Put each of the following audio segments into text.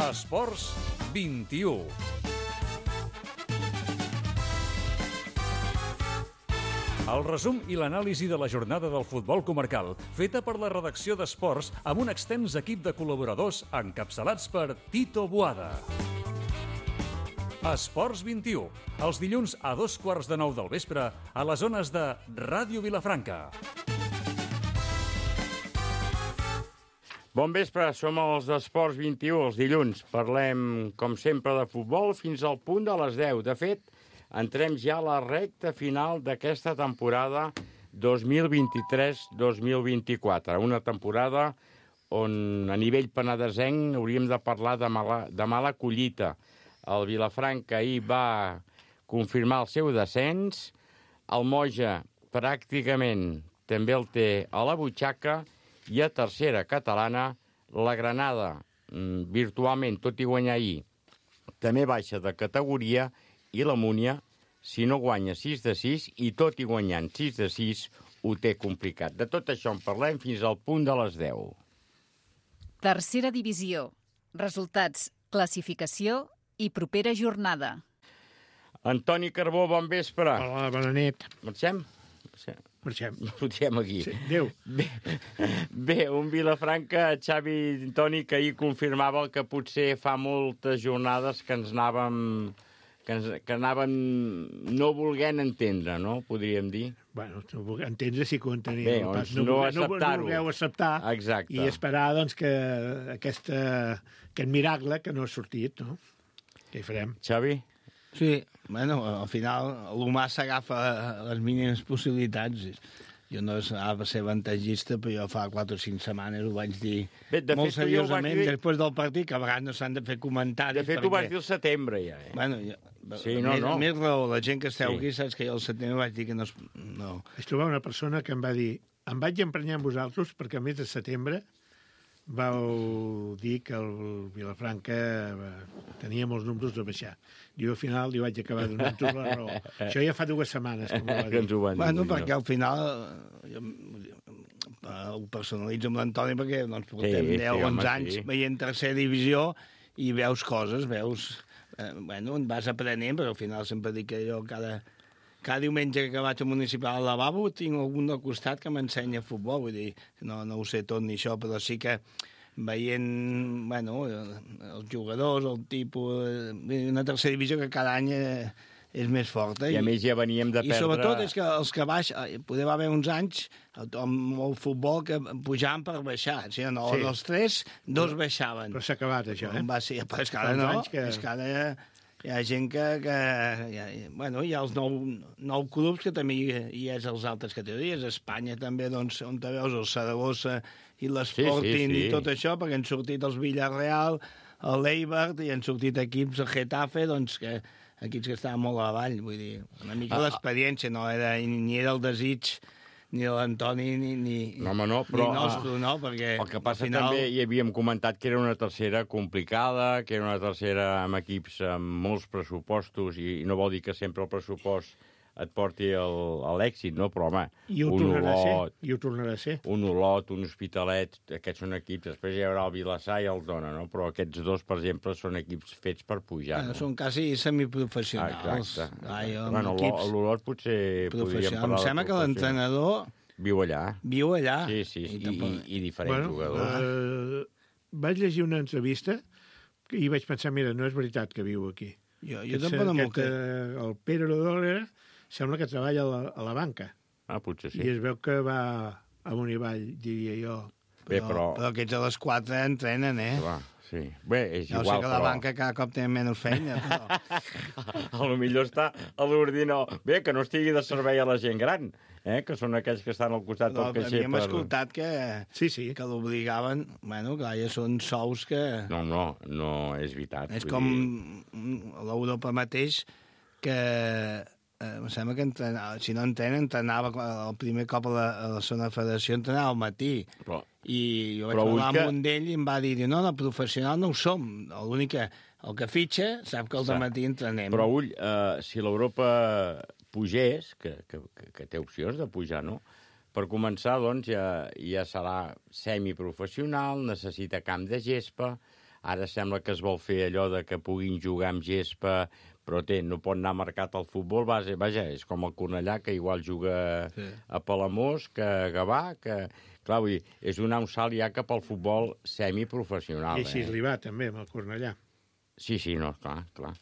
Esports 21. El resum i l'anàlisi de la jornada del futbol comarcal, feta per la redacció d'Esports amb un extens equip de col·laboradors encapçalats per Tito Boada. Esports 21, els dilluns a 8:15 del vespre a les zones de Ràdio Vilafranca. Bon vespre, som els d'Esports 21, els dilluns. Parlem, com sempre, de futbol fins al punt de les 10. De fet, entrem ja a la recta final d'aquesta temporada 2023-2024. Una temporada on, a nivell penedesenc, hauríem de parlar de mala collita. El Vilafranca ahir va confirmar el seu descens. El Moja pràcticament també el té a la butxaca. I a tercera catalana, la Granada, virtualment, tot i guanyar ahir, també baixa de categoria, i la Múnia, si no guanya 6-6, i tot i guanyant 6-6, ho té complicat. De tot això en parlem fins al punt de les 10. Tercera divisió. Resultats, classificació i propera jornada. Antoni Carbó, bon vespre. Hola, bona nit. Marxem? Marxem aquí. Sí, adéu. Bé, un Vilafranca, Xavi Toni, que ahir confirmava que potser fa moltes jornades que ens anàvem no volent entendre, no? Podríem dir. Bueno, entendre sí que ho enteníem. Bé, doncs no acceptar-ho. No voleu acceptar. Exacte. I esperar, doncs, que aquest miracle que no ha sortit, no? Què hi farem? Xavi? Sí, bueno, al final l'humà s'agafa les mínimes possibilitats. Jo no ha de ser avantatgista, però jo fa 4 o 5 setmanes ho vaig dir molt seriosament després del partit, que a vegades no s'han de fer comentaris. De fet, ho vas dir al setembre, ja. Bueno, més raó, la gent que esteu aquí saps que jo al setembre vaig dir que no... Vaig trobar una persona que em va dir: em vaig emprenyar amb vosaltres perquè al mes de setembre vau dir que el Vilafranca tenia molts números de baixar. Jo al final li vaig acabar donant la raó. Això ja fa 2 setmanes que m'ho va dir. Bueno, perquè al final ho personalitzo amb l'Antoni perquè doncs, portem 10-11 anys veient tercera divisió i veus coses, bueno, en vas aprenent, però al final sempre dic que jo cada diumenge que vaig al municipal al lavabo tinc algun al costat que m'ensenya futbol, vull dir, no ho sé tot ni això, però sí que veient, bueno, els jugadors, el tipus, una tercera divisió que cada any és més forta. I a més ja veníem de perdre... I sobretot és que els que poder va haver uns anys amb el futbol que pujaven per baixar. Si no, dels 3, 2 baixaven. Però s'ha acabat això, eh? Però és que ara no, és que ara... Hi ha gent bueno, hi ha els 9 clubs que també hi és les altres categories. A Espanya també, doncs, on te veus el Saragossa i l'Sporting i tot això, perquè han sortit els Villarreal, l'Eibar, i han sortit equips, el Getafe, doncs, equips que estaven molt avall, vull dir, una mica l'experiència, no era, ni era el desig ni de l'Antoni ni nostre, no? Perquè el que passa també, hi havíem comentat que era una tercera complicada, que era una tercera amb equips amb molts pressupostos, i no vol dir que sempre el pressupost et porti a l'èxit, no? Però, home, ho tornarà a ser. Un Olot, un Hospitalet, aquests són equips. Després hi haurà el Vilassar i el Dona, no? Però aquests dos, per exemple, són equips fets per pujar. No? Són quasi semiprofessionals. Exacte. L'Olot potser podríem parlar. Em sembla que l'entrenador... Viu allà. Sí, i diferents jugadors. Vaig llegir una entrevista i vaig pensar, mira, no és veritat que viu aquí. Jo tampoc no m'ho crec. El Pere Rodolera sembla que treballa a la banca. Potser sí. I es veu que va amunt i avall, diria jo. Però aquests a les 4 entrenen, Clar, sí. Bé, és igual, però... Jo sé que la banca cada cop té menys feina, però... A lo millor està a l'ordinador. Bé, que no estigui de servei a la gent gran, que són aquells que estan al costat del caixer. Havíem escoltat que l'obligaven... Bueno, clar, ja són sous que... No, és veritat. És com l'Europa mateix, que... em sembla que si no entrenava el primer cop a la zona federació, entrenava al matí. I jo vaig parlar amb un d'ell i em va dir, no, professional no ho som. L'únic que el que fitxa sap que al matí entrenem. Però ull, si l'Europa pugés, que té opcions de pujar, no? Per començar, doncs, ja serà semiprofessional, necessita camp de gespa, Ara sembla que es vol fer allò de que puguin jugar amb gespa, però no pot anar marcat al futbol base. Vaja, és com el Cornellà, que igual juga a Palamós, que a Gavà, que... Clar, vull dir, és donar un salt ja cap al futbol semiprofessional. I així li va, també, amb el Cornellà. Sí, no, clar.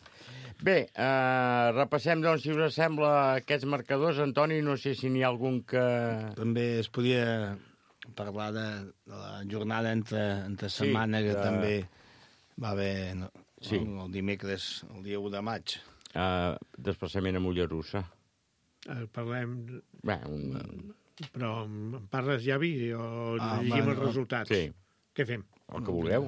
Bé, repassem, doncs, si us sembla, aquests marcadors. Antoni, no sé si n'hi ha algun que... També es podia parlar de la jornada entre setmana, que també va haver el dimecres, el dia 1 de maig. Desplaçament a Mollerussa. Parlem... Bé, Però em parles, Javi, o llegim els resultats? Sí. Què fem? El que vulgueu.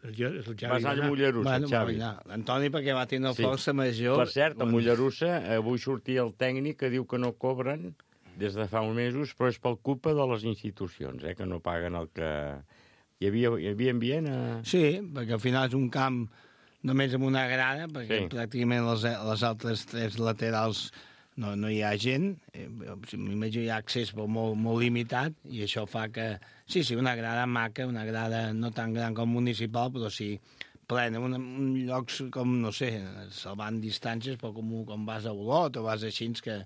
Vas anar a Mollerussa, Xavi. L'Antoni, perquè va tenir força major... Per cert, a Mollerussa avui sortia el tècnic que diu que no cobren des de fa uns mesos, però és per culpa de les institucions, que no paguen el que... Hi havia ambient? Sí, perquè al final és un camp només amb una grada, perquè pràcticament les altres 3 laterals no hi ha gent. M'imagino hi ha accés però molt limitat, i això fa que... Sí, una grada maca, una grada no tan gran com municipal, però sí plena, un llocs com, no sé, salvant distàncies, però com vas a Olot o vas a Xins, que...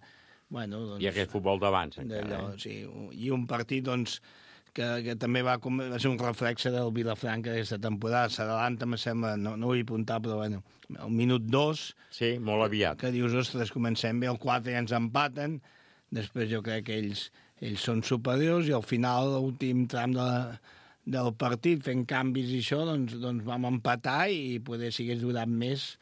Bueno, doncs, i aquest futbol d'abans, encara. Sí, i un partit, doncs, que també va ser un reflexe del Vilafranca d'aquesta temporada. S'adalanta, me sembla, no ho he apuntat, però bueno, al minut 2... Sí, molt aviat. Que dius, ostres, comencem bé, el 4 ja ens empaten, després jo crec que ells són superiors, i al final, l'últim tram del partit, fent canvis i això, doncs vam empatar, i poder, si hagués durat més...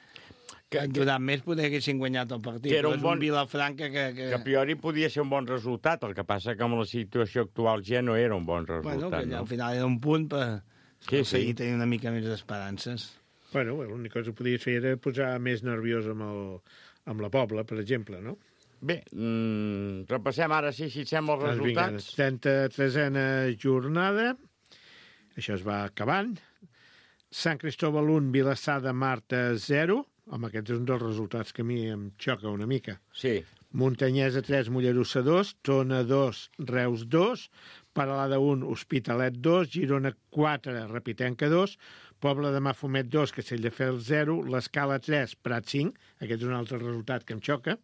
poder haguessin guanyat el partit. Era un Vilafranca que... a priori podia ser un bon resultat, el que passa que amb la situació actual ja no era un bon resultat. Bueno, que al final era un punt per seguir tenint una mica més d'esperances. Bueno, l'únic cosa que podies fer era posar més nerviós amb la Pobla, per exemple, no? Bé, repassem ara, si et sembla, els resultats. 33a jornada, això es va acabant. Sant Cristòbal 1, Vilassar de Marta 0. Home, aquest és un dels resultats que a mi em xoca una mica. Sí. Muntanyesa 3, Mollerussa 2, Tona 2, Reus 2, Peralada 1, Hospitalet 2, Girona 4, Repitenca 2, Pobla de Mafumet 2, Castelldefels 0, l'Escala 3, Prat 5, aquest és un altre resultat que em xoca,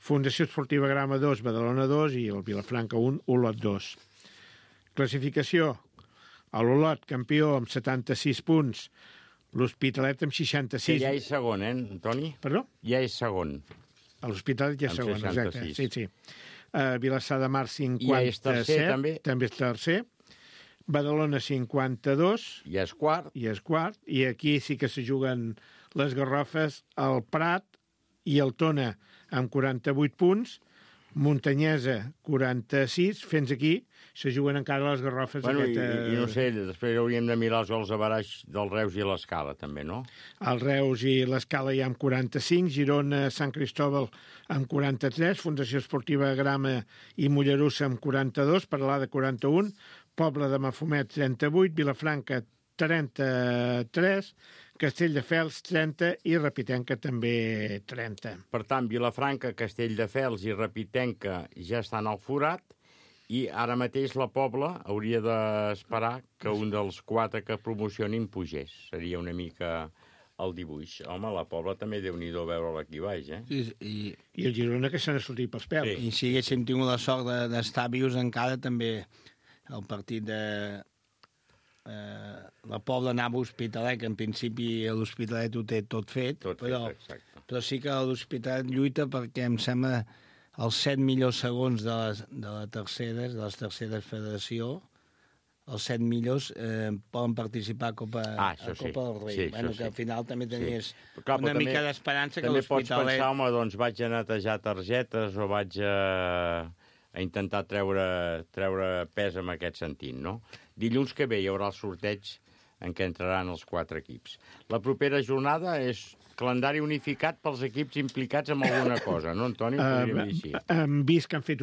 Fundació Esportiva Grama 2, Badalona 2 i el Vilafranca 1, Olot 2. Classificació: l'Olot, campió, amb 76 punts, l'Hospitalet amb 66. Que ja és segon, Antoni? Perdó? Ja és segon. L'Hospitalet ja és segon, 66. exacte. Sí. Vilassar de Mar 57. I ja és tercer, també? També és tercer. Badalona 52. I és quart. I aquí sí que se juguen les garrofes, el Prat i el Tona amb 48 punts, Muntanyesa 46, fins aquí se juguen encara les garrofes. Bueno, i no sé, després hauríem de mirar els gols a baraix del Reus i l'Escala, també, no? El Reus i l'Escala ja amb 45, Girona, Sant Cristòbal amb 43, Fundació Esportiva Grama i Mollerussa amb 42, Peralada 41, Pobla de Mafumet 38, Vilafranca 33, Castelldefels 30 i Repitenca també 30. Per tant, Vilafranca, Castelldefels i Repitenca ja estan al forat, i ara mateix la Pobla hauria d'esperar que un dels 4 que promocionin pugés. Seria una mica el dibuix. Home, la Pobla també déu-n'hi-do veure aquí baix, Sí, i el Girona que se n'ha sortit pels pèls. Sí. I si haguéssim tingut la sort d'estar vius encara, també el partit de... la Pobla anava a Hospitalet, que en principi l'Hospitalet ho té tot fet, però sí que l'Hospitalet lluita perquè em sembla els 7 millors segons de les terceres federació, els 7 millors poden participar a Copa del Rei. Sí, bueno, que al final també tenies una mica d'esperança que l'Hospitalet... També pots pensar, home, doncs vaig a netejar targetes o vaig a intentar treure pes en aquest sentit, no? Dilluns que ve hi haurà el sorteig en què entraran els 4 equips. La propera jornada és calendari unificat pels equips implicats en alguna cosa, no, Antoni? Hem vist que han fet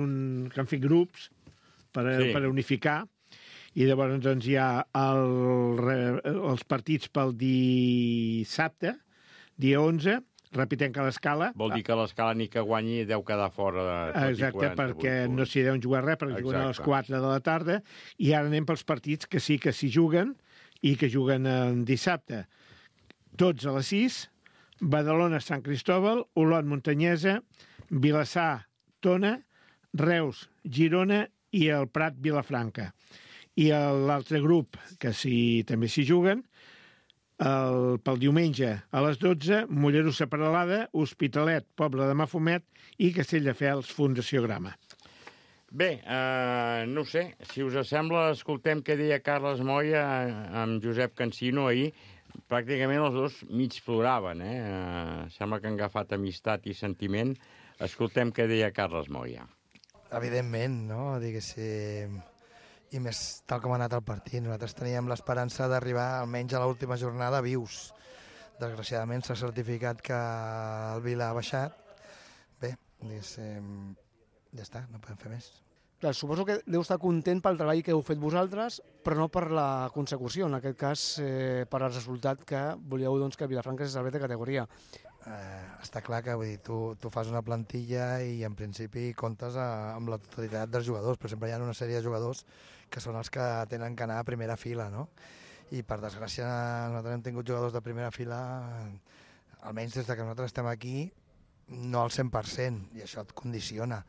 grups per unificar, i llavors doncs, hi ha els partits pel dissabte, dia 11, Repitenca a l'Escala. Vol dir que l'Escala ni que guanyi deu quedar fora de... Exacte, perquè no s'hi deuen jugar res, perquè juguen a les 4 de la tarda, i ara anem pels partits que sí que s'hi juguen, i que juguen dissabte, tots a les 6, Badalona-Sant Cristòbal, Olot-Montanyesa, Vilassar-Tona, Reus-Girona i el Prat-Vilafranca. I l'altre grup, que també s'hi juguen, pel diumenge a les 12, Mollerussa-Peralada, Hospitalet, Pobla de Mafumet i Castelldefels, Fundació Grama. Bé, no sé, si us sembla, escoltem què deia Carles Moya amb Josep Cansino ahir. Pràcticament els dos mig ploraven, sembla que han agafat amistat i sentiment. Escoltem què deia Carles Moya. Evidentment, no? Diguéssim, i més tal com ha anat el partit. Nosaltres teníem l'esperança d'arribar almenys a l'última jornada vius. Desgraciadament s'ha certificat que el Vila ha baixat. Bé, diguéssim, ja està, no podem fer més. Clar, suposo que deu estar content pel treball que heu fet vosaltres, però no per la consecució, en aquest cas per al resultat que volíeu que Vilafranca se salvés de categoria. Està clar que vull dir, tu fas una plantilla i en principi comptes amb la totalitat dels jugadors, però sempre hi ha una sèrie de jugadors que són els que tenen que anar a primera fila, no? I per desgràcia nosaltres hem tingut jugadors de primera fila, almenys des que nosaltres estem aquí, no al 100%, i això et condiciona.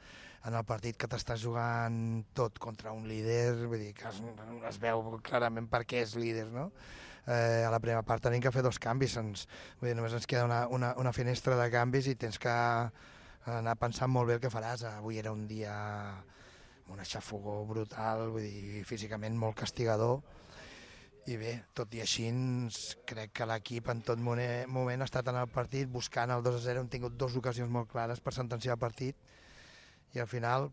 En el partit que t'estàs jugant tot contra un líder, vull dir que es veu clarament per què és líder, no? A la primera part tenim que fer 2 canvis, vull dir, només ens queda una finestra de canvis i tens que anar pensant molt bé el que faràs. Avui era un dia amb una xafogó brutal, vull dir, físicament molt castigador, i bé, tot i així crec que l'equip en tot moment ha estat en el partit buscant el 2-0, hem tingut 2 ocasions molt clares per sentenciar el partit, i al final,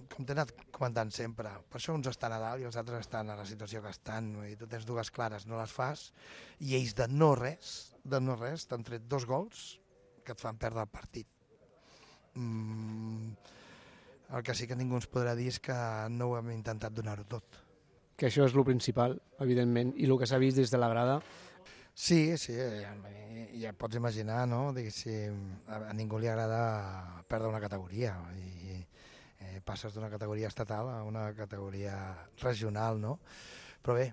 com t'he anat comentant sempre, per això uns estan a dalt i els altres estan a la situació que estan. Tu tens 2 clares, no les fas, i ells de no res, t'han tret 2 gols que et fan perdre el partit. El que sí que ningú ens podrà dir és que no ho hem intentat donar-ho tot. Que això és el principal, evidentment, i el que s'ha vist des de la grada. Sí, ja pots imaginar, no? Diguéssim, a ningú li agrada perdre una categoria i passes d'una categoria estatal a una categoria regional, no? Però bé,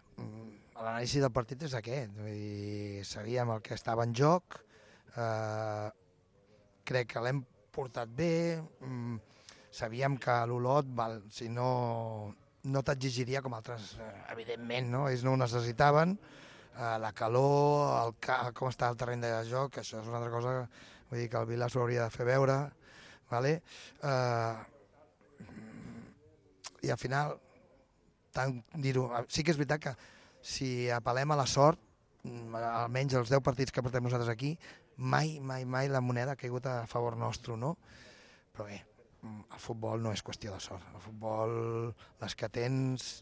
l'anàlisi del partit és aquest, vull dir, sabíem el que estava en joc, crec que l'hem portat bé, sabíem que l'Olot, si no t'exigiria com altres, evidentment, no? Ells no ho necessitaven, la calor, com està el terreny de joc, això és una altra cosa, vull dir que el Vila s'ho hauria de fer veure, vale? I al final, sí que és veritat que si apel·lem a la sort, almenys els 10 partits que portem nosaltres aquí, mai la moneda ha caigut a favor nostre, no? Però bé, el futbol no és qüestió de sort, el futbol, les que tens,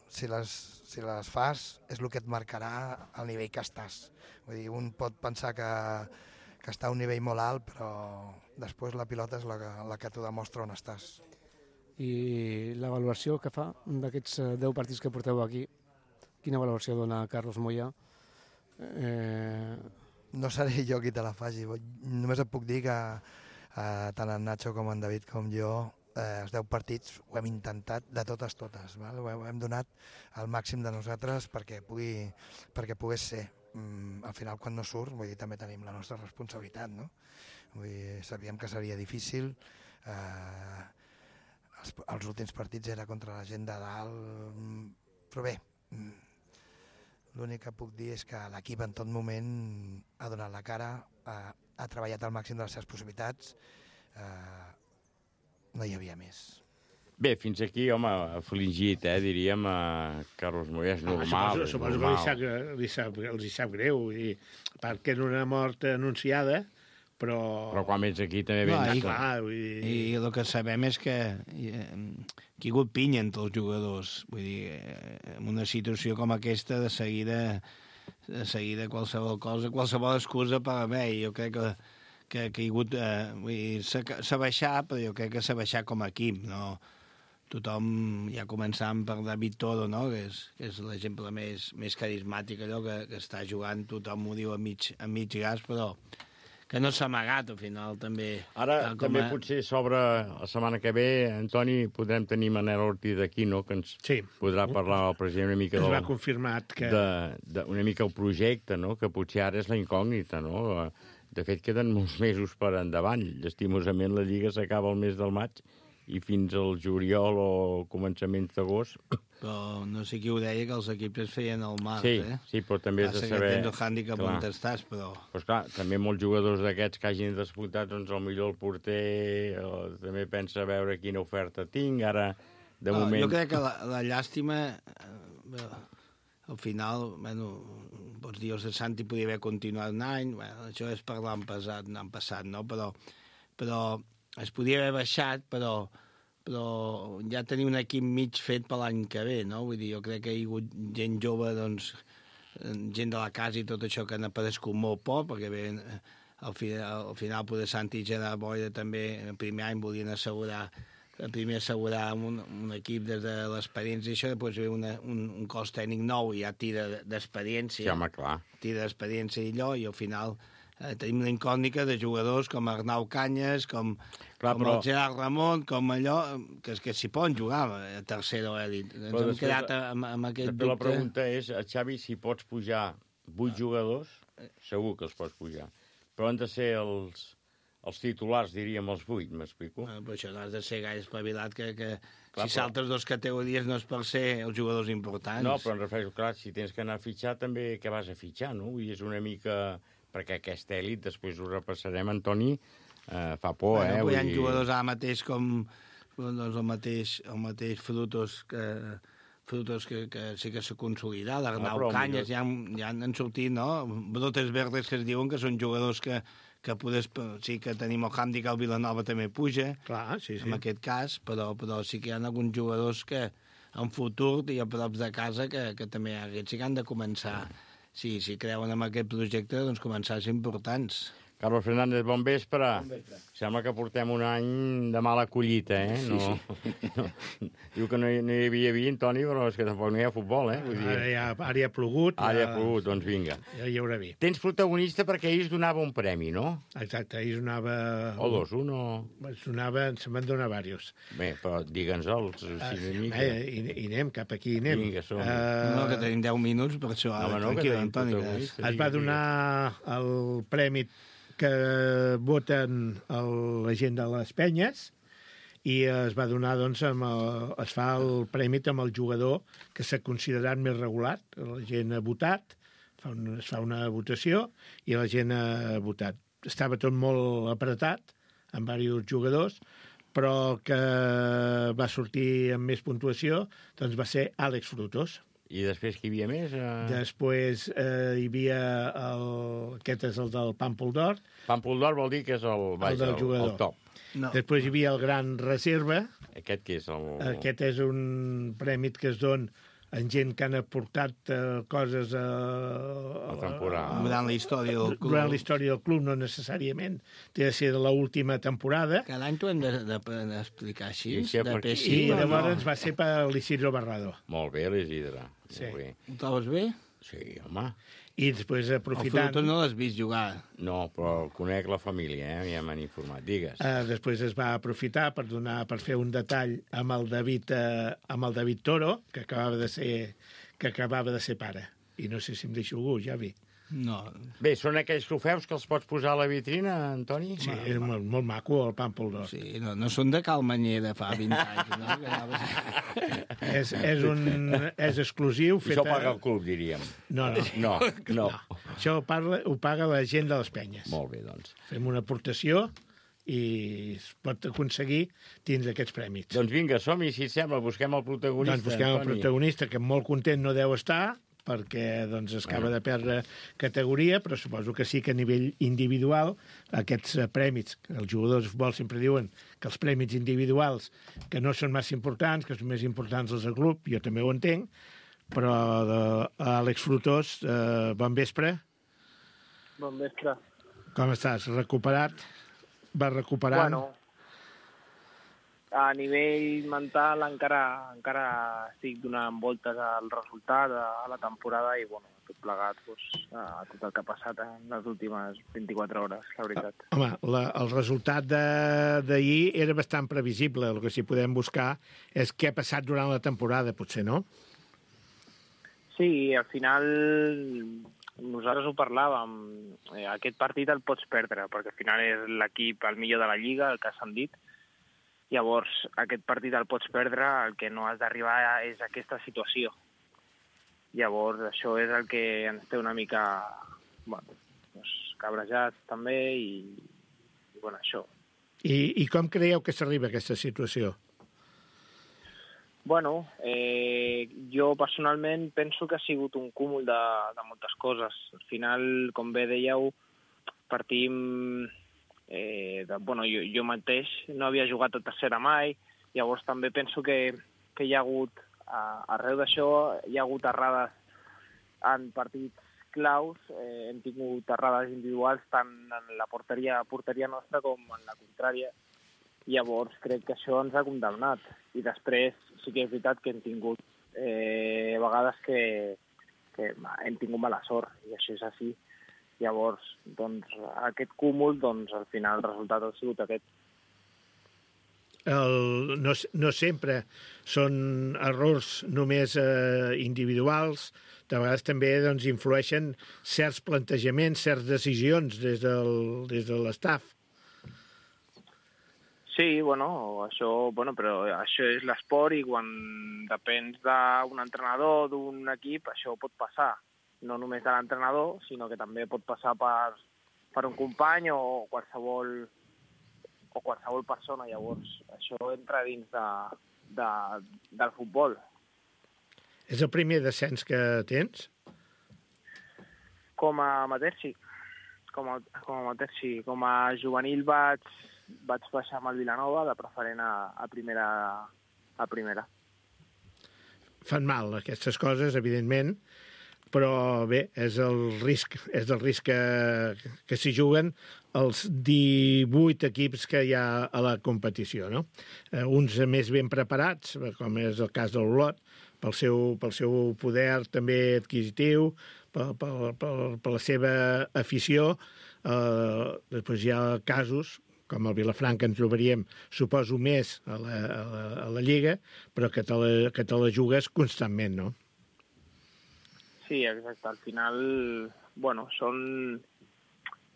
si les fas és el que et marcarà el nivell que estàs. Vull dir, un pot pensar que està a un nivell molt alt, però després la pilota és la que t'ho demostra on estàs. I l'avaluació que fa d'aquests 10 partits que porteu aquí, quina valoració dona Carlos Moya? No seré jo qui te la faci, només et puc dir que tant en Nacho com en David com jo, els 10 partits ho hem intentat de totes, val? Ho hem donat al màxim de nosaltres perquè pogués ser. Al final, quan no surt, vull dir, també tenim la nostra responsabilitat, no? Vull dir, sabíem que seria difícil, els últims partits era contra la gent de dalt, però bé, l'únic que puc dir és que l'equip en tot moment ha donat la cara, ha treballat al màxim de les seves possibilitats, no hi havia més. Bé, fins aquí, home, afligit, diríem, Carlos Moya, és normal. Suposo que els hi sap greu, perquè era una mort anunciada, però quan vens aquí també vens... I el que sabem és que hi ha hagut pinya entre els jugadors. Vull dir, en una situació com aquesta, de seguida qualsevol cosa, qualsevol excusa per haver. Jo crec que ha hagut... s'ha baixat, però jo crec que s'ha baixat com a equip, no? Tothom, ja començant per David Toro, no? que és l'exemple més carismàtic, allò que està jugant, tothom ho diu a mig gas, però que no s'ha amagat, al final, també. Ara, també potser s'obre la setmana que ve, Antoni, podrem tenir Manel Ortiz aquí, no?, que ens podrà parlar el president una mica es va confirmat que... una mica el projecte, no?, que potser ara és la incògnita, no? De fet, queden molts mesos per endavant. Llastimosament, la Lliga s'acaba el mes del maig i fins al juliol o començaments d'agost. Però no sé qui ho deia, que els equips es feien al març, Sí, però també has de saber... que tens el hàndicap on estàs, però... Pues clar, també molts jugadors d'aquests que hagin disputat, doncs millor el porter també pensa a veure quina oferta tinc, ara, de moment... Jo crec que la llàstima, al final, pots dir, el Santi podia haver continuat un any, això és per l'any passat, no? Però es podia haver baixat, però ja tenir un equip mig fet per l'any que ve, no? Vull dir, jo crec que hi ha hagut gent jove, doncs, gent de la casa i tot això que han aparegut molt poc, perquè bé, al final poder Santi i Gerard Boira també, el primer any volien assegurar un equip des de l'experiència i això, després ve un cos tècnic nou i ja tira d'experiència. Sí, home, clar. Tira d'experiència i allò, i al final tenim la incògnita de jugadors com Arnau Canyes, com el Gerard Ramon, com allò, que s'hi poden jugar a tercera o elit. Ens hem quedat amb aquest dubte. La pregunta és, Xavi, si pots pujar 8 jugadors, segur que els pots pujar, però han de ser els titulars, diríem, els 8, m'explico? Però això no has de ser gaire espavilat, que si saltes 2 categories no és per ser els jugadors importants. No, però em refereixo, clar, si tens que anar a fitxar, també què vas a fitxar, no? I és una mica... Perquè aquesta èlit, després ho repassarem, Antoni, fa por, Hi ha jugadors ara mateix com el mateix Frutos, que sí que s'ha consolidat, l'Arnau Canyes, ja han sortit, no? Brotes verdes que es diuen que són jugadors que sí que tenim el hàndicap, el Vilanova també puja, en aquest cas, però sí que hi ha alguns jugadors que en futur i a prop de casa que també aquests sí que han de començar, si creuen en aquest projecte, doncs començar a ser importants. Carlos Fernández, bon vespre. Sembla que portem un any de mala collita, eh? Diu que no hi havia vi, Toni, però és que tampoc no hi ha futbol, eh? Vull dir... Ara hi ha plogut. Ara hi ha plogut, doncs vinga. Ja hi haurà vi. Tens protagonista perquè ahir es donava un premi, no? Exacte, ahir es donava... O dos, un o... Se'n van donar diversos. Bé, però digue'ns-els. I anem, cap aquí anem. Vinga, som. No, que tenim 10 minuts, per això. Es va donar el premi que voten la gent de les penyes i es va donar, doncs, es fa el premi amb el jugador que s'ha considerat més regular. La gent ha votat, es fa una votació i la gent ha votat. Estava tot molt apretat, amb diversos jugadors, però el que va sortir amb més puntuació doncs va ser Àlex Frutos. I després qui hi havia més? Després hi havia aquest és el del Pàmpol d'Or. Pàmpol d'Or vol dir que és el top. No. Després hi havia el Gran Reserva. Aquest què és? Aquest és un premi que es dona en gent que han aportat coses a la temporada. Durant la història del club. Durant la història del club, no necessàriament. Té de ser de l'última temporada. Cada any t'ho hem d'explicar així. I llavors va ser per l'Isidro Barrado. Molt bé, l'Isidre. Sí. Ho trobes bé? Sí, home. I després, aprofitant... El Frutos no l'has vist jugar. No, però conec la família, ja m'han informat. Digues. Després es va aprofitar per fer un detall amb el David Toro, que acabava de ser pare. I no sé si em deixo algú, Javi. No. Bé, són aquells trofeus que els pots posar a la vitrina, Antoni? Sí, és molt maco, el Pàmpol d'Or. Sí, no són de Cal Manyer de fa 20 anys, no? És exclusiu. Això paga el club, diríem. No. Això ho paga la gent de les penyes. Molt bé, doncs. Fem una aportació i es pot aconseguir dins d'aquests prèmits. Doncs vinga, som-hi, si et sembla, busquem el protagonista. Doncs busquem el protagonista, que molt content no deu estar, perquè doncs, acaba de perdre categoria, però suposo que sí que a nivell individual aquests prèmits, els jugadors de futbol sempre diuen que els prèmits individuals que no són massa importants, que són més importants els del club, jo també ho entenc, però Àlex Frutos, bon vespre. Bon vespre. Com estàs? Recuperat? Vas recuperant? Bueno, a nivell mental encara estic donant voltes al resultat, a la temporada, i bueno, tot plegat, a tot el que ha passat en les últimes 24 hores, la veritat. Home, el resultat d'ahir era bastant previsible. El que sí podem buscar és què ha passat durant la temporada, potser, no? Sí, al final nosaltres ho parlàvem. Aquest partit el pots perdre, perquè al final és l'equip el millor de la Lliga, el que s'han dit. Llavors, aquest partit el pots perdre, el que no has d'arribar és aquesta situació. Llavors, això és el que ens té una mica cabrejats també, i bueno, això. I com creieu que s'arriba a aquesta situació? Bueno, jo personalment penso que ha sigut un cúmul de moltes coses. Al final, com bé dèieu, partim... jo mateix no havia jugat a tercera mai, llavors també penso que hi ha hagut, arreu d'això, hi ha hagut errades en partits claus, hem tingut errades individuals tant en la porteria nostra com en la contrària. Llavors crec que això ens ha condemnat. I després sí que és veritat que hem tingut vegades que hem tingut mala sort, i això és així. Llavors, doncs, aquest cúmul, doncs, al final el resultat ha sigut aquest. No sempre són errors només individuals, de vegades també doncs, influeixen certs plantejaments, certes decisions des de l'estaf. Sí, però això és l'esport, i quan depens d'un entrenador, d'un equip, això pot passar. No només de l'entrenador, sinó que també pot passar per un company o qualsevol persona. Llavors, això entra dins del futbol. És el primer descens que tens? Com a amateur, sí. Com a juvenil vaig baixar amb el Vilanova, de preferent a primera. Fan mal aquestes coses, evidentment, però bé, és el risc que s'hi juguen els 18 equips que hi ha a la competició, no? Uns més ben preparats, com és el cas de l'Olot, pel seu poder també adquisitiu, per la seva afició. Després hi ha casos, com el Vilafranca ens trobaríem, suposo, més a la Lliga, però que te la jugues constantment, no? Sí, exacte. Al final,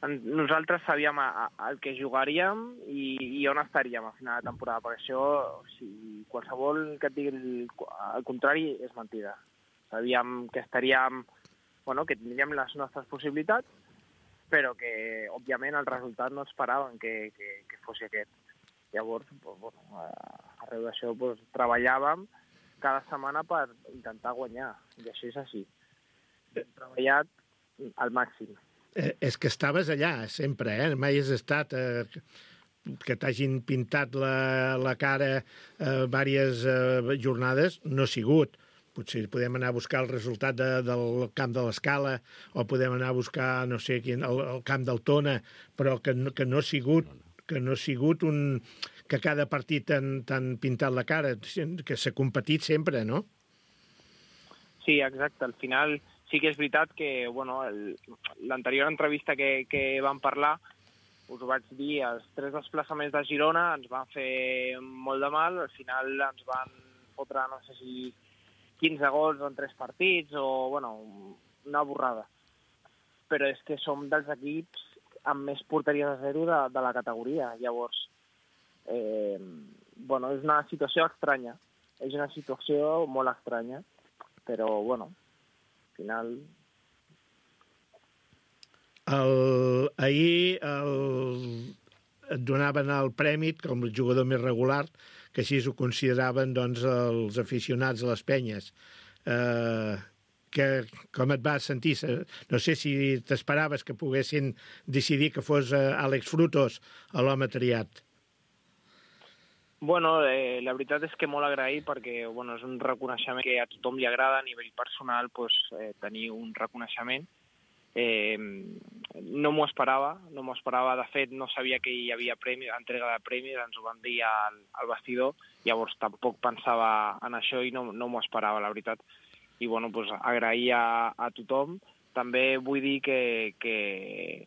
nosaltres sabíem el que jugaríem i on estaríem a final de temporada, perquè això, si qualsevol que et digui el contrari, és mentida. Sabíem que estaríem, que tindríem les nostres possibilitats, però que, òbviament, el resultat no esperàvem que fos aquest. Llavors, arreu d'això, treballàvem cada setmana per intentar guanyar, i això és així. Hem treballat al màxim. És que estaves allà, sempre, Mai has estat que t'hagin pintat la cara diverses jornades, no ha sigut. Potser podem anar a buscar el resultat del camp de l'Escala, o podem anar a buscar, no sé quin, el camp del Tona, però que no ha sigut que cada partit t'han pintat la cara, que s'ha competit sempre, no? Sí, exacte. Al final sí que és veritat que, l'anterior entrevista que vam parlar, us ho vaig dir, els 3 desplaçaments de Girona ens van fer molt de mal, al final ens van fotre, no sé si 15 gols en 3 partits, o, una borrada. Però és que som dels equips amb més porteries a 0 de la categoria. Llavors, és una situació estranya. És una situació molt estranya, però, al final... Ahir et donaven el premi com el jugador més regular, que així ho consideraven doncs, els aficionats a les penyes. Com et vas sentir? No sé si t'esperaves que poguessin decidir que fos Àlex Frutos l'home triat. La veritat és que molt agraït, perquè és un reconeixement que a tothom li agrada a nivell personal, tenir un reconeixement. no m'ho esperava. De fet, no sabia que hi havia entrega de premis, ens ho van dir al vestidor, llavors tampoc pensava en això i no m'ho esperava, la veritat. I bueno, doncs, agrair a tothom. També vull dir que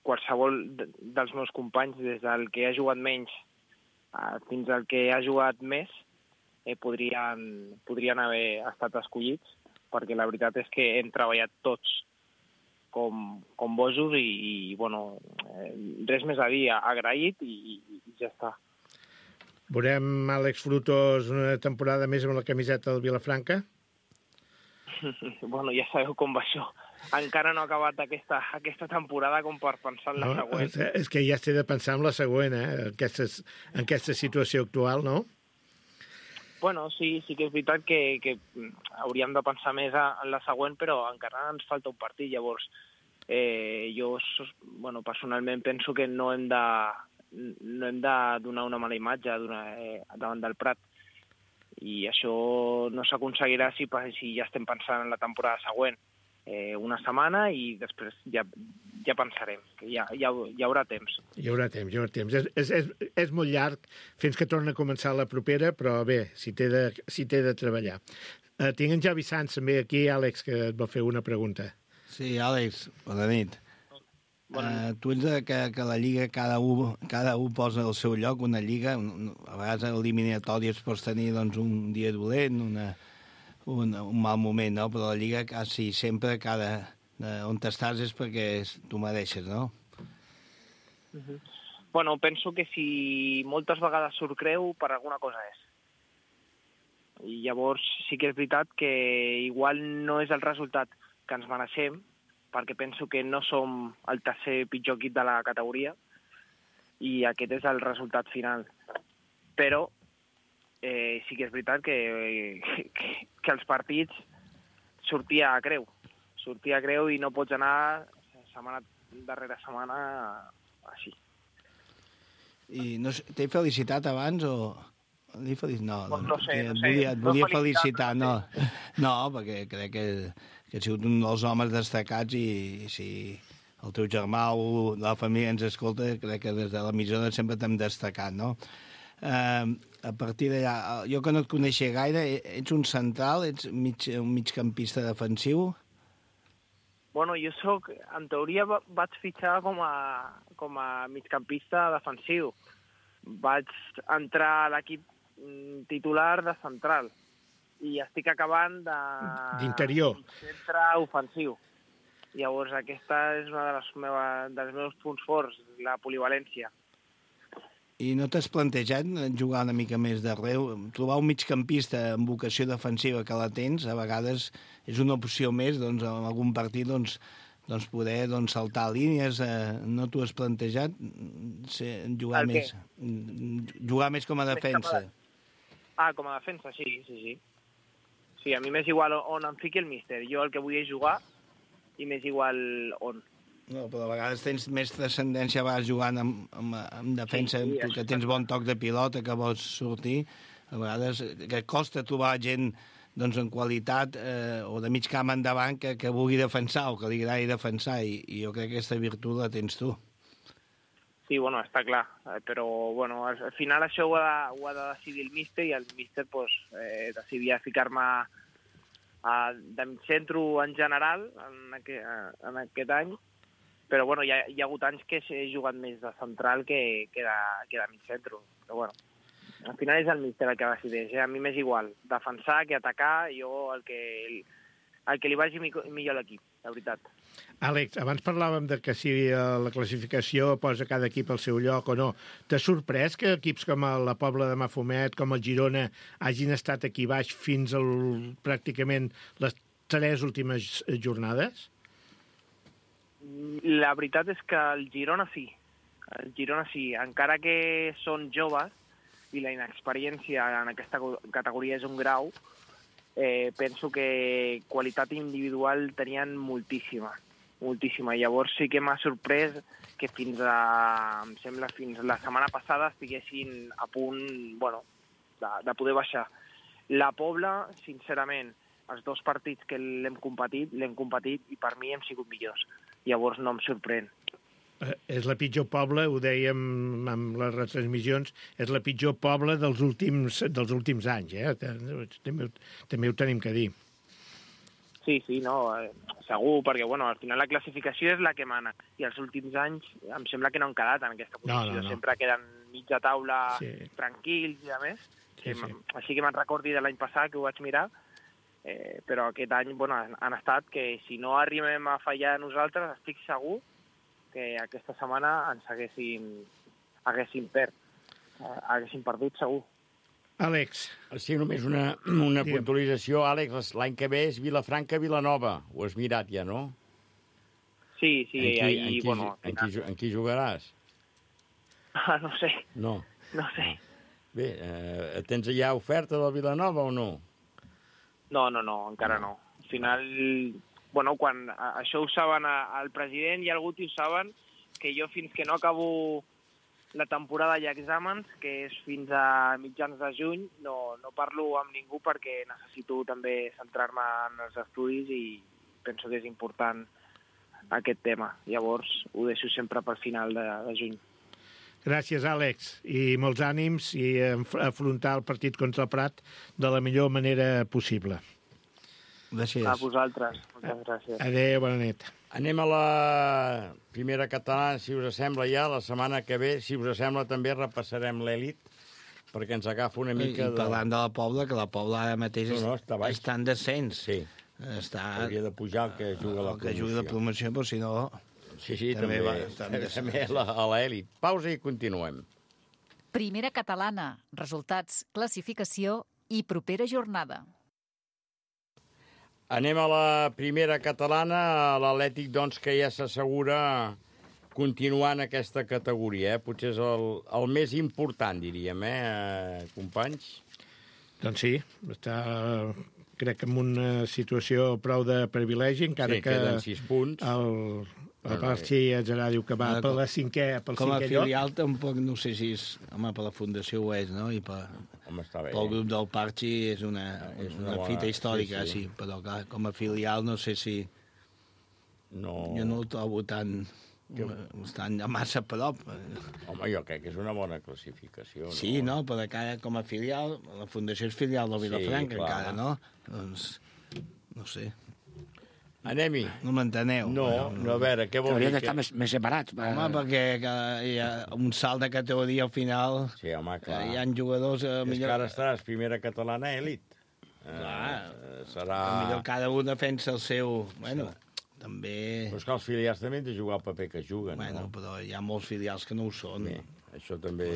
qualsevol dels meus companys, des del que ha jugat menys fins al que ha jugat més, podrien haver estat escollits, perquè la veritat és que hem treballat tots com bojos i bueno, res més a dir, agraït i ja està. Veurem Àlex Frutos una temporada més amb la camiseta del Vilafranca? Bueno, ja sabeu com va això. Encara no ha acabat aquesta temporada com per pensar en la següent. És que ja s'ha de pensar en la següent, en aquesta situació actual, no? Bueno, sí que és veritat que hauríem de pensar més en la següent, però encara ens falta un partit. Llavors, jo personalment penso que no hem de donar una mala imatge davant del Prat. I això no s'aconseguirà si ja estem pensant en la temporada següent. Una setmana i després ja pensarem, que hi haurà temps. Hi haurà temps. És molt llarg fins que torna a començar la propera, però bé, si té de treballar. Tinc en Javi Sanz també aquí, Àlex, que et va fer una pregunta. Sí, Àlex, bona nit. Tu ets que la Lliga cada un posa al seu lloc, una Lliga, a vegades eliminatòries pots tenir doncs, un dia dolent, un mal moment, no? Però la Lliga quasi sempre, on estàs és perquè tu mereixes, no? Bueno, penso que si moltes vegades surt creu, per alguna cosa és. I llavors sí que és veritat que igual no és el resultat que ens mereixem, perquè penso que no som el tercer pitjor equip de la categoria i aquest és el resultat final. Però sí que és veritat que els partits sortia a creu i no pots anar setmana darrere setmana així. I t'he felicitat abans o...? No sé. Et volia felicitar, no, perquè crec que has sigut un dels homes destacats i si el teu germà o la família ens escolta, crec que des de l'emissora sempre t'hem destacat, no? A partir d'allà, jo que no et coneixia gaire, ets un central, ets un migcampista defensiu? Bueno, jo en teoria vaig fitxar com a migcampista defensiu. Vaig entrar a l'equip titular de central i estic acabant d'interior, centre ofensiu. Llavors aquesta és una dels meus punts forts, la polivalència. I no t'has plantejat jugar una mica més d'arreu? Trobar un migcampista amb vocació defensiva que la tens, a vegades és una opció més, doncs, en algun partit, poder saltar línies. No t'ho has plantejat? Jugar més com a defensa? Com a defensa, sí. Sí, a mi m'és igual on em fiqui el míster. Jo el que vull és jugar i m'és igual on. No, però a vegades tens més transcendència jugant en defensa, sí, tu que tens bon toc de pilota, que vols sortir. A vegades que costa trobar gent en qualitat o de mig camp endavant que vulgui defensar o que li agradi defensar, i jo crec que aquesta virtut la tens tu. Sí, bueno, està clar, però bueno, al final això ho ha de decidir el míster i el míster decidia ficar-me de centre en general en aquest any, però bueno, hi ha hagut anys que he jugat més de central que de mig centre, però bueno, al final és el míster el que decideix, a mi m'és igual defensar que atacar, jo el que li vagi millor a l'equip, la veritat. Àlex, abans parlàvem de que si la classificació posa cada equip al seu lloc o no. T'ha sorprès que equips com la Pobla de Mafumet, com el Girona, hagin estat aquí baix fins pràcticament les 3 últimes jornades? La veritat és que el Girona sí. Encara que són joves i la inexperiència en aquesta categoria és un grau, penso que qualitat individual tenien moltíssima. Llavors sí que m'ha sorprès que fins la setmana passada estiguessin a punt, de poder baixar. La Pobla, sincerament, els 2 partits que l'hem competit i per mi hem sigut millors. llavors no em sorprèn. És la pitjor poble, ho dèiem amb les retransmissions, és la pitjor poble dels últims anys, també ho tenim que dir. Sí, no, segur, perquè al final la classificació és la que mana, i els últims anys em sembla que no han quedat en aquesta posició, No. Sempre queden mitja taula tranquils i a més, així que me'n recordi de l'any passat que ho vaig mirar, però aquest any han estat que si no arribem a fallar nosaltres, estic segur que aquesta setmana ens haguéssim perdut segur. Àlex. Sí, només una puntualització. Àlex, l'any que ve és Vilafranca-Vilanova. Ho has mirat ja, no? Sí, En qui jugaràs? No sé. No sé. Bé, tens ja oferta del Vilanova o no? No, encara no. Al final, quan això ho saben el president i el Guti ho saben, que jo fins que no acabo la temporada i exàmens, que és fins a mitjans de juny, no parlo amb ningú perquè necessito també centrar-me en els estudis i penso que és important aquest tema. Llavors ho deixo sempre pel final de juny. Gràcies, Àlex, i molts ànims i afrontar el partit contra el Prat de la millor manera possible. Gràcies. A vosaltres. Moltes gràcies. Adéu, bona nit. Anem a la primera catalana, si us sembla ja, la setmana que ve. Si us sembla, també repassarem l'elit, perquè ens agafa una mica... I parlant de la Pobla, que la Pobla ara mateix està en descens. Sí. Hauria de pujar el que juga la promoció. El que juga la promoció, però si no... Sí, també a l'elit. Pausa i continuem. Primera catalana, resultats, classificació i propera jornada. Anem a la primera catalana, l'Atlètic, doncs, que ja s'assegura continuar en aquesta categoria. Potser és el més important, diríem, companys? Doncs sí, està, crec que en una situació prou de privilegi, encara que... queden 6 punts. El Parxi Atzarà diu que va per la cinquè lloc. Com a filial tampoc, no sé si és... Home, per la Fundació ho és, no? I pel grup del Parxi és una fita històrica, sí. Però clar, com a filial no sé si... Jo no ho trobo tan massa a prop. Home, jo crec que és una bona classificació, no? Sí, no? Però encara com a filial, la Fundació és filial del Vilafranca, encara, no? Doncs, no sé... Anem-hi. No m'enteneu. No, a veure, què vol dir? Haurien d'estar més separats. Home, perquè hi ha un salt de categoria al final. Sí, home, clar. Hi ha jugadors... És que ara estaràs primera catalana elit. Clar. Serà... Millor cada un defensa el seu... Bueno, també... Però és que els filials també han de jugar el paper que juguen, no? Però hi ha molts filials que no ho són. Bé, això també...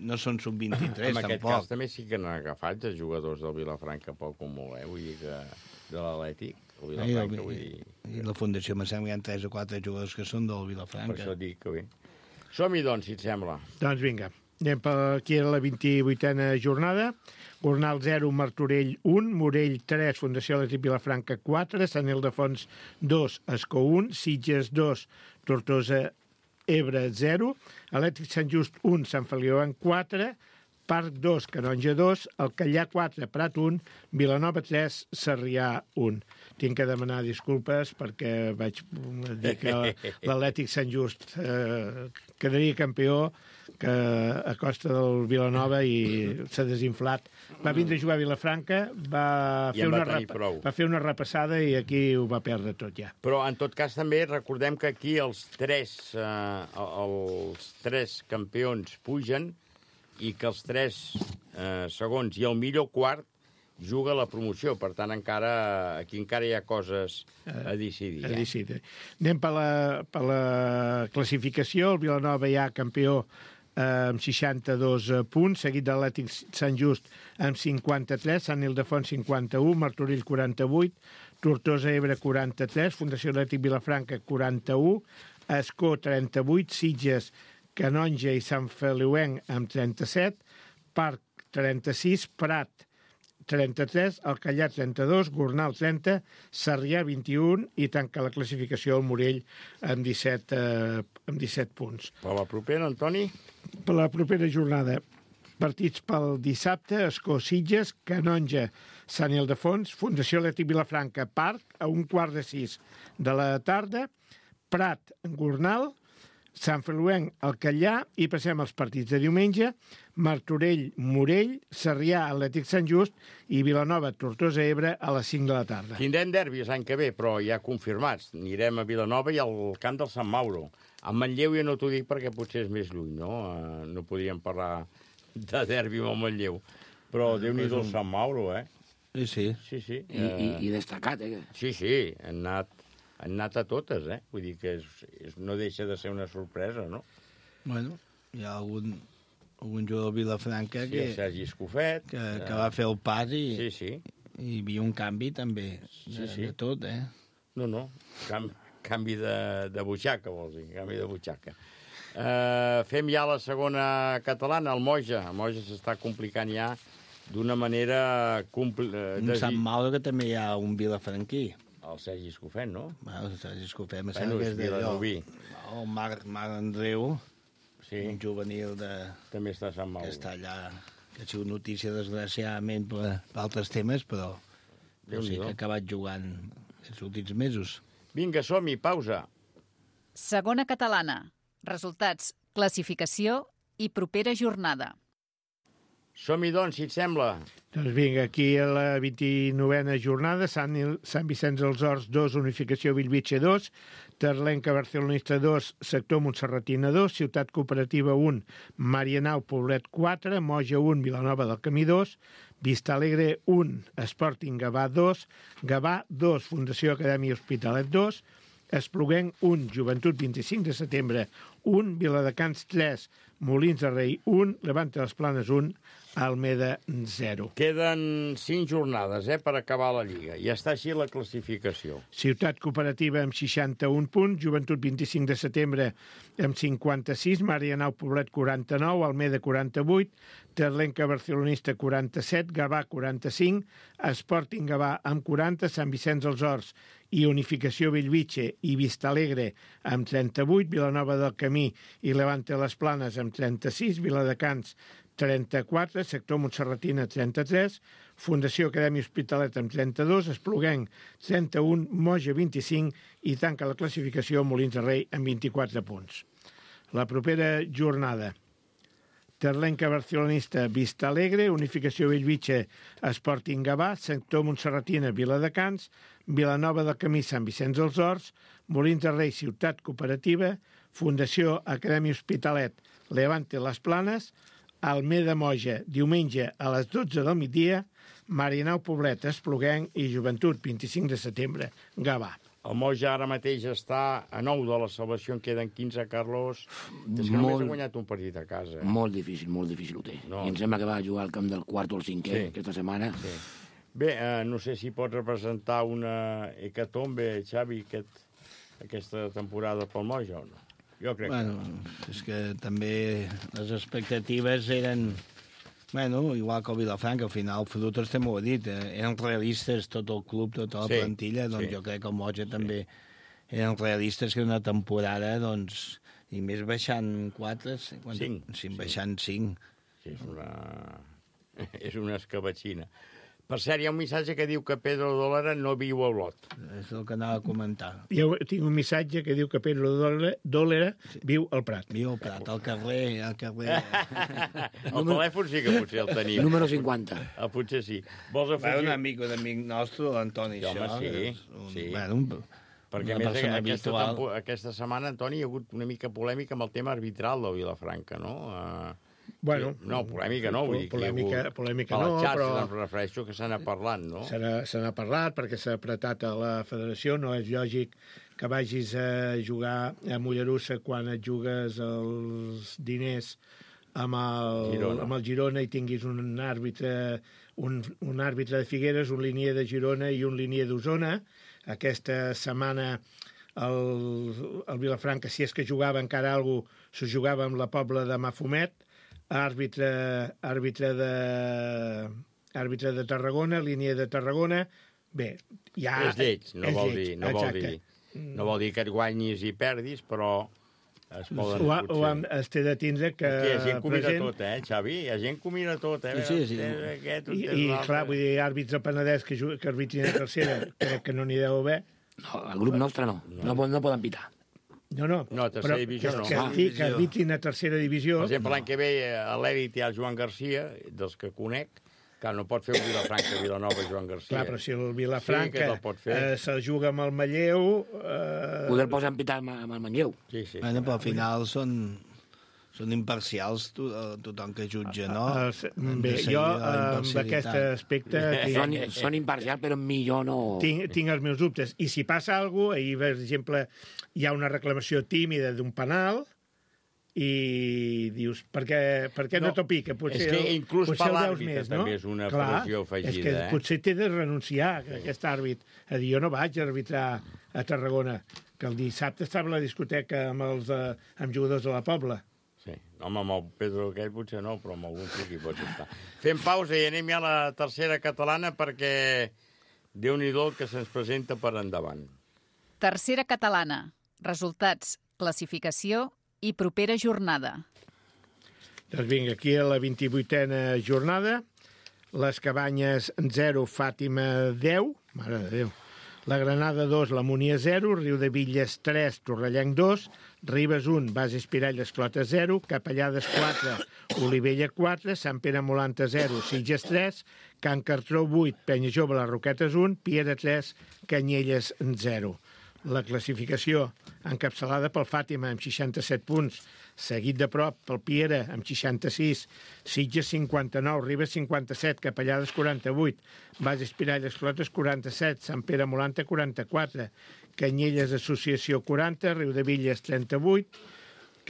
No són sub-23, tampoc. En aquest cas també sí que n'han agafat els jugadors del Vilafranca poc com voleu, vull dir que de l'Atlètic. I la Fundació, me sembla que hi ha 3 o 4 jugadors que són del Vilafranca. Per això dic que bé. Som-hi, doncs, si et sembla. Doncs vinga. Anem per aquí a la 28a jornada. Gornal 0, Martorell 1, Morell 3, Fundació Atlètic Vilafranca 4, Sant Ildefons 2, Escó 1, Sitges 2, Tortosa Ebre 0, Atlètic Sant Just 1, Sant Feliu 4, Parc 2, Canonja 2, Alcallà 4, Prat 1, Vilanova 3, Sarrià 1. Tinc que demanar disculpes perquè vaig dir que l'Atlètic Sant Just quedaria campió que a costa del Vilanova i s'ha desinflat. Va vindre a jugar a Vilafranca, va fer una repassada i aquí ho va perdre tot ja. Però en tot cas també recordem que aquí els tres campions pugen i que els 3 segons i el millor quart juga la promoció. Per tant, aquí encara hi ha coses a decidir. Anem per la classificació. El Vilanova ja campió amb 62 punts, seguit de l'Atlètic Sant Just amb 53, Sant Ildefons 51, Martorell 48, Tortosa Ebre 43, Fundació Atlètic Vilafranca 41, Escó 38, Sitges, Canonja i Sant Feliuenc amb 37, Parc 36, Prat 33, Alcallà 32, Gornal 30, Sarrià 21 i tanca la classificació el Morell amb 17 punts. Per la propera, Antoni? Per la propera jornada, partits pel dissabte, Escó Sitges, Canonja, Sant Ildefons, Fundació Atlètic Vilafranca, Parc, a 5:15 de la tarda, Prat, Gornal, Sant Feliuenc, el Catllà, i passem als partits de diumenge: Martorell, Morell, Sarrià, Atlètic Sant Just i Vilanova, Tortosa, Ebre a les 5 de la tarda. Tindrem derbis l'any que ve, però ja confirmats. Anirem a Vilanova i al camp del Sant Mauro. A Manlleu ja no t'ho dic perquè potser és més lluny, no? No podríem parlar de derbi amb el Manlleu. Però Déu-n'hi-do el Sant Mauro, eh? Sí. I destacat, eh? Sí, han anat a totes, eh? Vull dir que no deixa de ser una sorpresa, no? Bueno, hi ha algun jugador de Vilafranca el Sergi Escofet, que va fer el pas i hi havia un canvi també de tot, eh? No, canvi de butxaca, vols dir, canvi de butxaca. Fem ja la segona catalana, el Moja. El Moja s'està complicant ja d'una manera... Un Sant Mauro que també hi ha un vilafranquí. El Sergi Escofet, no? El Sergi Escofet, me sembla que és Vilanoví. El Marc Andreu, un juvenil també està a Sant Mauro. Que està allà, que ha sigut notícia desgraciadament per altres temes, però no sé, que ha acabat jugant els últims mesos. Vinga, som-hi, pausa. Segona catalana. Resultats, classificació i propera jornada. Som-hi, doncs, si et sembla. Doncs vinga, aquí a la 29a jornada, Sant Vicenç dels Horts 2, Unificació Bellvitge 2, Terlenca Barcelonista 2, Sector Montserratina 2, Ciutat Cooperativa 1, Marianao Poblet 4, Moja 1, Vilanova del Camí 2, Vista Alegre 1, Sporting Gavà 2, Gavà 2, Fundació Acadèmia Hospitalet 2, Espluguenc 1, Joventut 25 de setembre 1, Viladecans 3, Molins de Rei 1, Levante les Planes 1, Almeda 0. Queden 5 jornades per acabar la Lliga. I està així la classificació. Ciutat Cooperativa amb 61 punts, Joventut 25 de setembre amb 56, Marianao Poblet 49, Almeda 48, Terlenca Barcelonista 47, Gavà 45, Sporting Gavà amb 40, Sant Vicenç dels Horts i Unificació Bellvitge i Vista Alegre amb 38, Vilanova del Camí i Levante les Planes amb 36, Viladecans 34, Sector Montserratina 33, Fundació Acadèmia Hospitalet amb 32, Espluguenc 31, Moja 25 i tanca la classificació Molins de Rei amb 24 punts. La propera jornada: Terlenca Barcelonista, Vista Alegre, Unificació Bellvitge, Sporting Gavà, Sector Montserratina, Viladecans, Vilanova del Camí, Sant Vicenç dels Horts, Molins de Rei, Ciutat Cooperativa, Fundació Acadèmia Hospitalet, Levante les Planes, Almeda Moja, diumenge a les 12 del migdia, Marianao Poblet, Espluguenc i Joventut, 25 de setembre, Gavà. El Moja ara mateix està a 9 de la salvació, en queden 15, Carlos. És que només ha guanyat un partit a casa. Molt difícil ho té. I em sembla que va jugar al camp del quart o el cinquè aquesta setmana. Sí. Bé, no sé si pots representar una hecatombe, Xavi, aquesta temporada pel Moja o no? Jo crec que no. És que també les expectatives eren... igual que el Vilafranca, al final el Frutos també ho ha dit, eren realistes tot el club, tota la plantilla, doncs jo crec que el Moja també eren realistes que una temporada, doncs, i més baixant 4... 5. Baixant 5. Sí, és una escabatxina. Per cert, hi ha un missatge que diu que Pedro Dólara no viu a Olot. És el que anava a comentar. Jo tinc un missatge que diu que Pedro Dólara viu al Prat. Viu al Prat, al carrer... El telèfon sí que potser el tenim. Número 50. Potser sí. Vols afegir... Un amic nostre, l'Antoni. Home, sí. Perquè a més aquesta setmana, Antoni, hi ha hagut una mica polèmica amb el tema arbitral del Vilafranca, no? Bueno, no, polèmica no, vull dir polèmica no, però... em refereixo que se n'ha parlat, no? Se n'ha parlat perquè s'ha apretat a la federació. No és lògic que vagis a jugar a Mollerussa quan et jugues els diners amb el Girona i tinguis un àrbitre de Figueres, un linier de Girona i un linier d'Osona. Aquesta setmana el Vilafranca, si és que jugava encara alguna cosa, s'ho jugava amb la Pobla de Mafumet, àrbitre de Tarragona, línia de Tarragona. Bé, ja... És lleig, no vol dir que et guanyis i perdis, però es poden potser... Es té de tindre que... Hi ha gent que ho mira tot, Xavi? Hi ha gent que ho mira tot, Sí. I clar, vull dir, àrbits de Penedès que arbitrin a tercera, crec que no n'hi deu haver. No, el grup nostre no. No poden pitar. No, tercera divisió no. Que arbitrin a tercera divisió. Per exemple, l'any que ve a l'Èlit hi ha el Joan Garcia, dels que conec, que no pot fer un Vilafranca-Vilanova Joan Garcia. Clar, però si el Vilafranca se juga amb el Manlleu... Poder posar en pitar amb el Manlleu. Sí. Bueno, però al final són imparcials tothom que jutja, no? Bé, jo amb aquest aspecte... Són imparcials, però millor no... Tinc els meus dubtes. I si passa alguna cosa, ahir, per exemple, hi ha una reclamació tímida d'un penal i dius, per què no t'ho pica? És que inclús per l'àrbitre també és una pressió afegida. És que potser té de renunciar, aquest àrbit, a dir, jo no vaig arbitrar a Tarragona, que el dissabte estava a la discoteca amb jugadors de la Pobla. Sí, home, amb el Pedro aquell potser no, però amb algun sí que hi pots estar. Fem pausa i anem ja a la tercera catalana perquè Déu-n'hi-do el que se'ns presenta per endavant. Tercera catalana. Resultats, classificació i propera jornada. Doncs vinga, aquí a la 28a jornada, les Cabanyes 0, Fàtima 10, mare de Déu. La Granada 2, la Múnia 0, Riudebitlles 3, Torrellenc 2, Ribes 1, Base Espirall Esclota 0, Capellades 4, Olivella 4, Sant Pere Molanta 0, Sitges 3, Can Cartró 8, Penya Jove, les Roquetes 1, Piera 3, Canyelles 0. La classificació encapçalada pel Fàtima amb 67 punts, seguit de prop pel Piera amb 66, Sitges 59, Ribes 57, Capellades 48, Base Espirall Esclotes 47, Sant Pere Molanta 44, Canyelles Associació 40, Riudebitlles 38,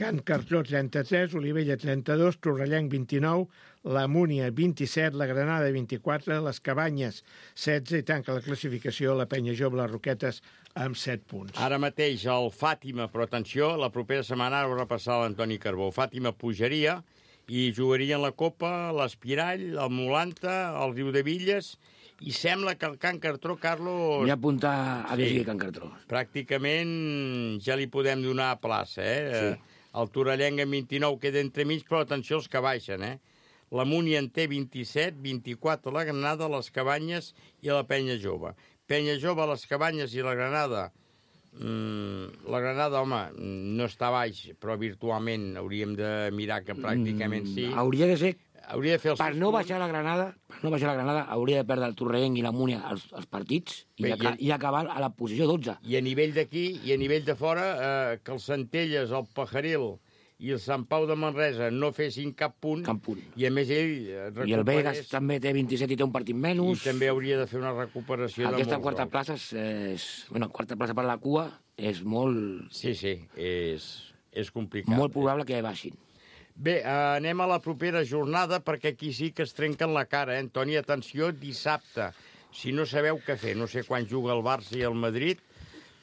Can Cartró 33, Olivella 32, Torrellenc 29, la Múnia 27, la Granada 24, les Cabanyes 16 i tanca la classificació la Penya Jove, les Roquetes amb 7 punts. Ara mateix el Fàtima, però atenció, la propera setmana ho repassarà l'Antoni Carbó. Fàtima pujaria i jugarien la Copa, l'Espirall, el Molanta, el Riudebitlles, i sembla que el Can Cartró, Carlos... M'hi apuntar a llegir Can Cartró. Pràcticament ja li podem donar plaça, Sí. El Torrellenc amb 29 queda entremig, però atenció els que baixen, La Múnia en té 27, 24 la Granada, les Cabanyes i la Penya Jove. Penya Jove, les Cabanyes i la Granada. La Granada, home, no està baix, però virtualment hauríem de mirar que pràcticament sí. Hauria de ser... Hauria de fer els per no baixar la Granada, hauria de perdre el Torrellenc i la Múnia els partits i acabar a la posició 12. I a nivell d'aquí i a nivell de fora, que el Centelles, el Pajaril i el Sant Pau de Manresa no fessin cap punt. I a més ell recuperés... I el Vegas també té 27 i té un partit menys. I també hauria de fer una recuperació de molts Aquesta quarta plaça és... Bueno, quarta plaça per la cua és molt... Sí, és complicat. Molt probable que baixin. Bé, anem a la propera jornada perquè aquí sí que es trenquen la cara, Antoni, atenció, dissabte. Si no sabeu què fer, no sé quan juga el Barça i el Madrid,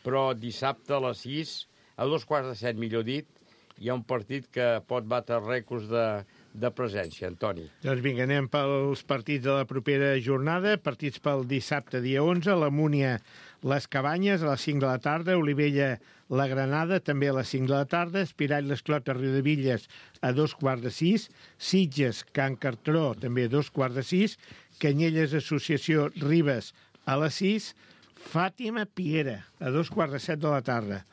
però dissabte a les 6, a 6:45, millor dit, hi ha un partit que pot batre rècords de presència, Antoni. Doncs vinga, anem pels partits de la propera jornada. Partits pel dissabte, dia 11, la Múnia, les Cabanyes, a les 5 de la tarda, Olivella, la Granada, també a les 5 de la tarda, Espirall, l'Esclota, Riudebitlles, a 5:15, Sitges, Can Cartró, també a 5:15, Canyelles, Associació, Ribes, a les 6, Fàtima, Piera, a 2:15 de la tarda,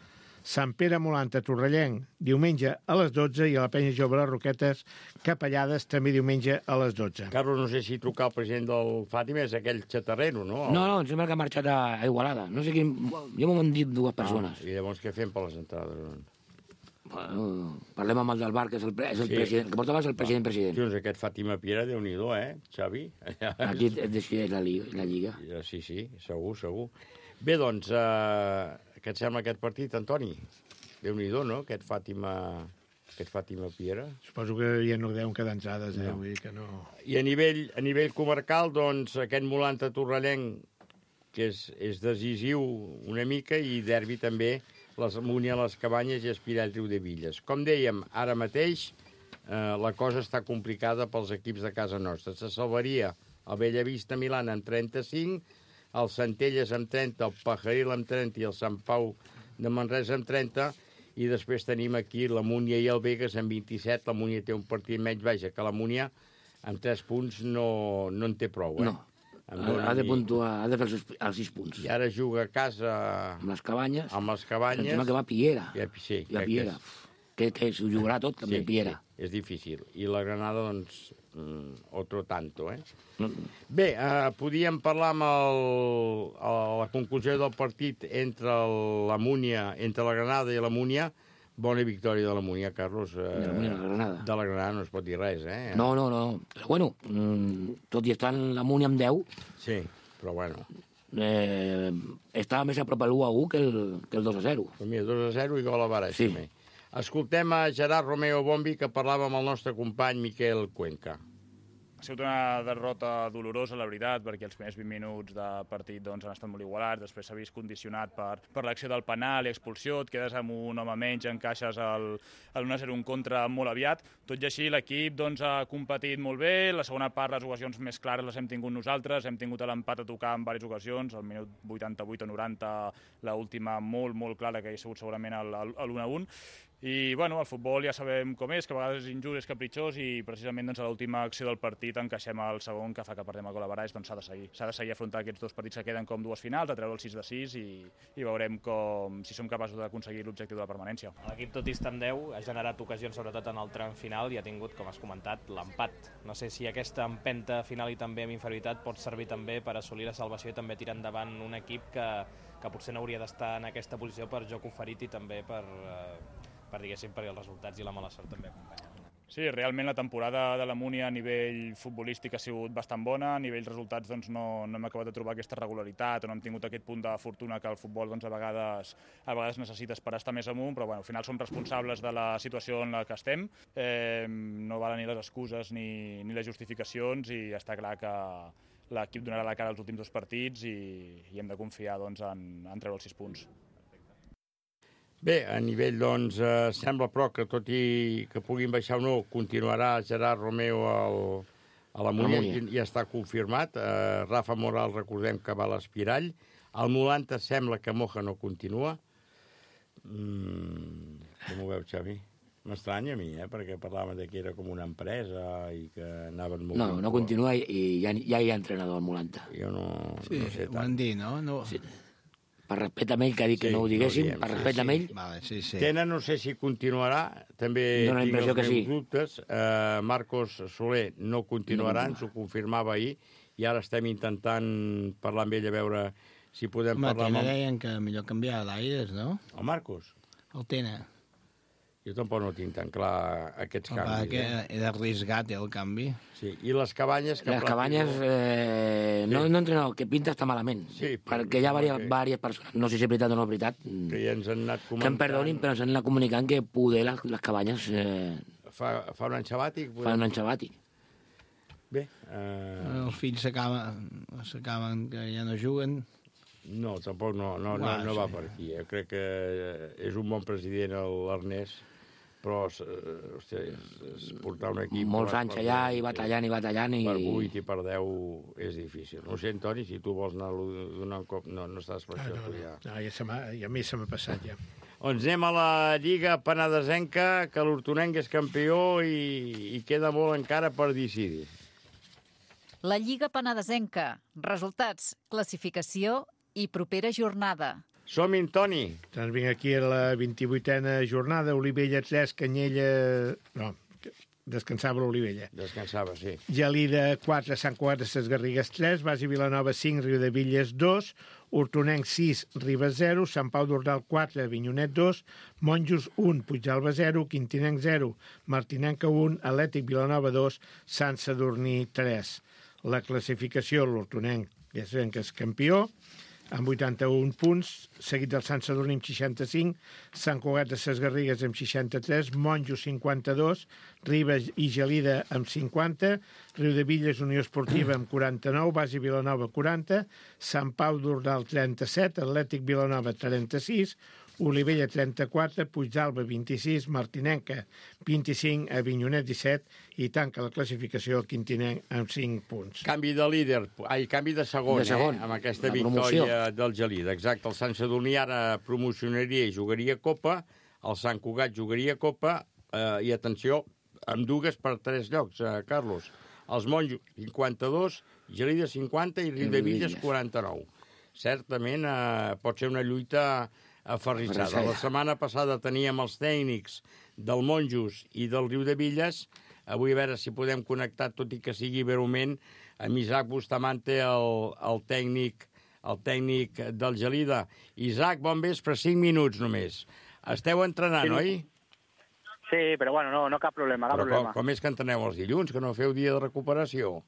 Sant Pere Molanta, Torrellenc, diumenge a les 12, i a la Penya Jove, les Roquetes, Capellades, també diumenge a les 12. Carlos, no sé si trucar al president del Fàtima és aquell xatarrero, no? No, em sembla que ha marxat a Igualada. No sé quin... Jo m'ho han dit dues persones. I llavors què fem per les entrades? Bueno, parlem amb el del bar, que és el president. El que portava és el president. Doncs aquest Fàtima Piera, Déu-n'hi-do, Xavi? Aquí decideix la Lliga. Sí, segur. Bé, doncs, què et sembla aquest partit, Antoni? Déu-n'hi-do, no?, aquest Fàtima Piera. Suposo que ja no deuen quedar entrades, no. Vull dir que no... I a nivell comarcal, doncs, aquest Molanta Torrellenc, que és decisiu una mica, i derbi també les Múnia, les Cabanyes i Espirall, Riudebitlles. Com dèiem, ara mateix la cosa està complicada pels equips de casa nostra. Se salvaria el Bellavista Milana amb 35, el Centelles amb 30, el Pajaril amb 30 i el Sant Pau de Manresa amb 30, i després tenim aquí la Múnia i el Vegas amb 27. La Múnia té un partit menys, vaja, que la Múnia amb 3 punts no en té prou, No, Ha de puntuar, ha de fer els 6 punts. I ara juga a casa... Amb les Cabanyes. Em sembla que va a Piera. Sí, la Piera. Que s'ho jugarà tot, també Piera. Sí, és difícil. I la Granada, doncs, otro tanto, eh? Bé, podíem parlar amb la conclusió del partit entre la Granada i la Múnia. Bona victòria de la Múnia, Carlos. De la Múnia, la Granada. De la Granada no es pot dir res, eh? No. Però, bueno, tot i estar en la Múnia amb 10... Sí, però bueno... estava més a prop el 1-1 que el 2-0. Pues mira, 2-0 i gol a Barça. Sí. Escoltem a Gerard Romeo Bombi, que parlava amb el nostre company Miquel Cuenca. Ha sigut una derrota dolorosa, la veritat, perquè els primers 20 minuts de partit doncs, han estat molt igualats, després s'ha vist condicionat per l'acció del penal i expulsió, et quedes amb un home menys, encaixes el 1-0 en contra molt aviat. Tot i així, l'equip doncs, ha competit molt bé, la segona part, les ocasions més clares les hem tingut nosaltres, hem tingut l'empat a tocar en diverses ocasions, al minut 88 o 90, l'última molt clara, que hi ha sigut segurament l'1-1, i bueno, el futbol ja sabem com és, que a vegades és injust, és capritxós, i precisament doncs, a l'última acció del partit encaixem el segon, que fa que perdem el gol a Baralls, doncs s'ha de seguir afrontar aquests dos partits que queden com dues finals, a treure el 6-6 i veurem si som capaços d'aconseguir l'objectiu de la permanència. L'equip, tot i estar amb 10, ha generat ocasions, sobretot en el tram final, i ha tingut, com has comentat, l'empat. No sé si aquesta empenta final i també amb inferioritat pot servir també per assolir la salvació i també tirar endavant un equip que potser no hauria d'estar en aquesta posició per joc oferit i també diguéssim, perquè els resultats i la mala sort també acompanyen. Sí, realment la temporada de la Múnia a nivell futbolístic ha sigut bastant bona, a nivell resultats doncs, no hem acabat de trobar aquesta regularitat o no hem tingut aquest punt de fortuna que el futbol doncs, a vegades necessites per estar més amunt, però bueno, al final som responsables de la situació en la que estem, no valen ni les excuses ni les justificacions, i està clar que l'equip donarà la cara als últims dos partits i hem de confiar doncs, en treure els 6 punts. Bé, a nivell, doncs, sembla però que tot i que puguin baixar o no, continuarà Gerard Romeo a la Múnia, ja està confirmat. Rafa Moral, recordem que va a l'Espirall. Al 90 sembla que Moja no continua. Com ho veu, Xavi? M'estranya a mi, perquè parlaven que era com una empresa i que anaven molt... No continua i ja hi ha entrenador al 90. Jo no sé tant. Ho han dit, no? Sí. Per respecte a ell, que ha dit que no ho diguéssim, per respecte a ell... Tena no sé si continuarà, també tinc els meus dubtes. Marcos Soler no continuarà, ens ho confirmava ahir, i ara estem intentant parlar amb ell a veure si podem parlar amb... Tena deien que millor canviar d'aires, no? El Marcos? El Tena. Jo tampoc no tinc tan clar aquests canvis. Que era arriscat, el canvi. Sí, i les Cabanyes... Les Cabanyes, no entrenador, que pinta està malament. Sí, perquè hi ha diverses persones, no sé si és veritat o no és veritat, que ja ens han anat comentant... Que em perdonin, però ens han anat comunicant que poder les Cabanyes... Fa un any sabàtic? Fa un any sabàtic. Bé... Els fills s'acaben que ja no juguen... No, tampoc no va per aquí. Jo crec que és un bon president, l'Ernest, però portar un equip... Molts anys allà i batallant. Per 8 i per 10 és difícil. No sé, Antoni, si tu vols anar donant un cop... No estàs per això, tu ja. Ja a mi se m'ha passat, ja. Doncs anem a la Lliga Penedesenca, que l'Hortonenc és campió i queda molt encara per decidir. La Lliga Penedesenca. Resultats, classificació i propera jornada. Som-hi, Toni. Doncs vinc aquí a la 28a jornada, Olivella 3, Canyella... No, descansava l'Olivella. Descansava, sí. Gelida 4, Sant Cugat de ses Garrigues 3, Basi Vilanova 5, Riudevilles 2, Hortonenc 6, Ribes 0, Sant Pau d'Ordal 4, Avinyonet 2, Monjos 1, Puigdalba 0, Quintinenc 0, Martinenca 1, Atlètic Vilanova 2, Sant Sadurní 3. La classificació, l'Hortonenc, ja sabem que és campió, amb 81 punts, seguit del Sant Sadurní amb 65, Sant Cugat de ses Garrigues amb 63, Monjos 52, Ribes i Gelida amb 50, Riudevilles Unió Esportiva amb 49, Basi Vilanova 40, Sant Pau d'Ordal 37, Atlètic Vilanova 36, Olivella 34, Puigdalba 26, Martinenca 25, Avinyonet 17 i tanca la classificació el Quintinenc amb 5 punts. Canvi de líder, canvi de segon. Amb aquesta victòria del Gelida. Exacte, el Sant Sadurní ara promocionaria i jugaria Copa, el Sant Cugat jugaria Copa i, atenció, amb dues per 3 llocs, Carlos. Els Monjos, 52, Gelida, 50 i Riudebitlles, 49. Certament pot ser una lluita aferrissada. La setmana passada teníem els tècnics del Monjos i del Riudebitlles. Avui a veure si podem connectar, tot i que sigui breument, amb Isaac Bustamante, el tècnic del Gelida. Isaac, bon vespre, 5 minuts només. Esteu entrenant, oi? Sí, però bueno, no cap problema, Com és que entreneu els dilluns, que no feu dia de recuperació?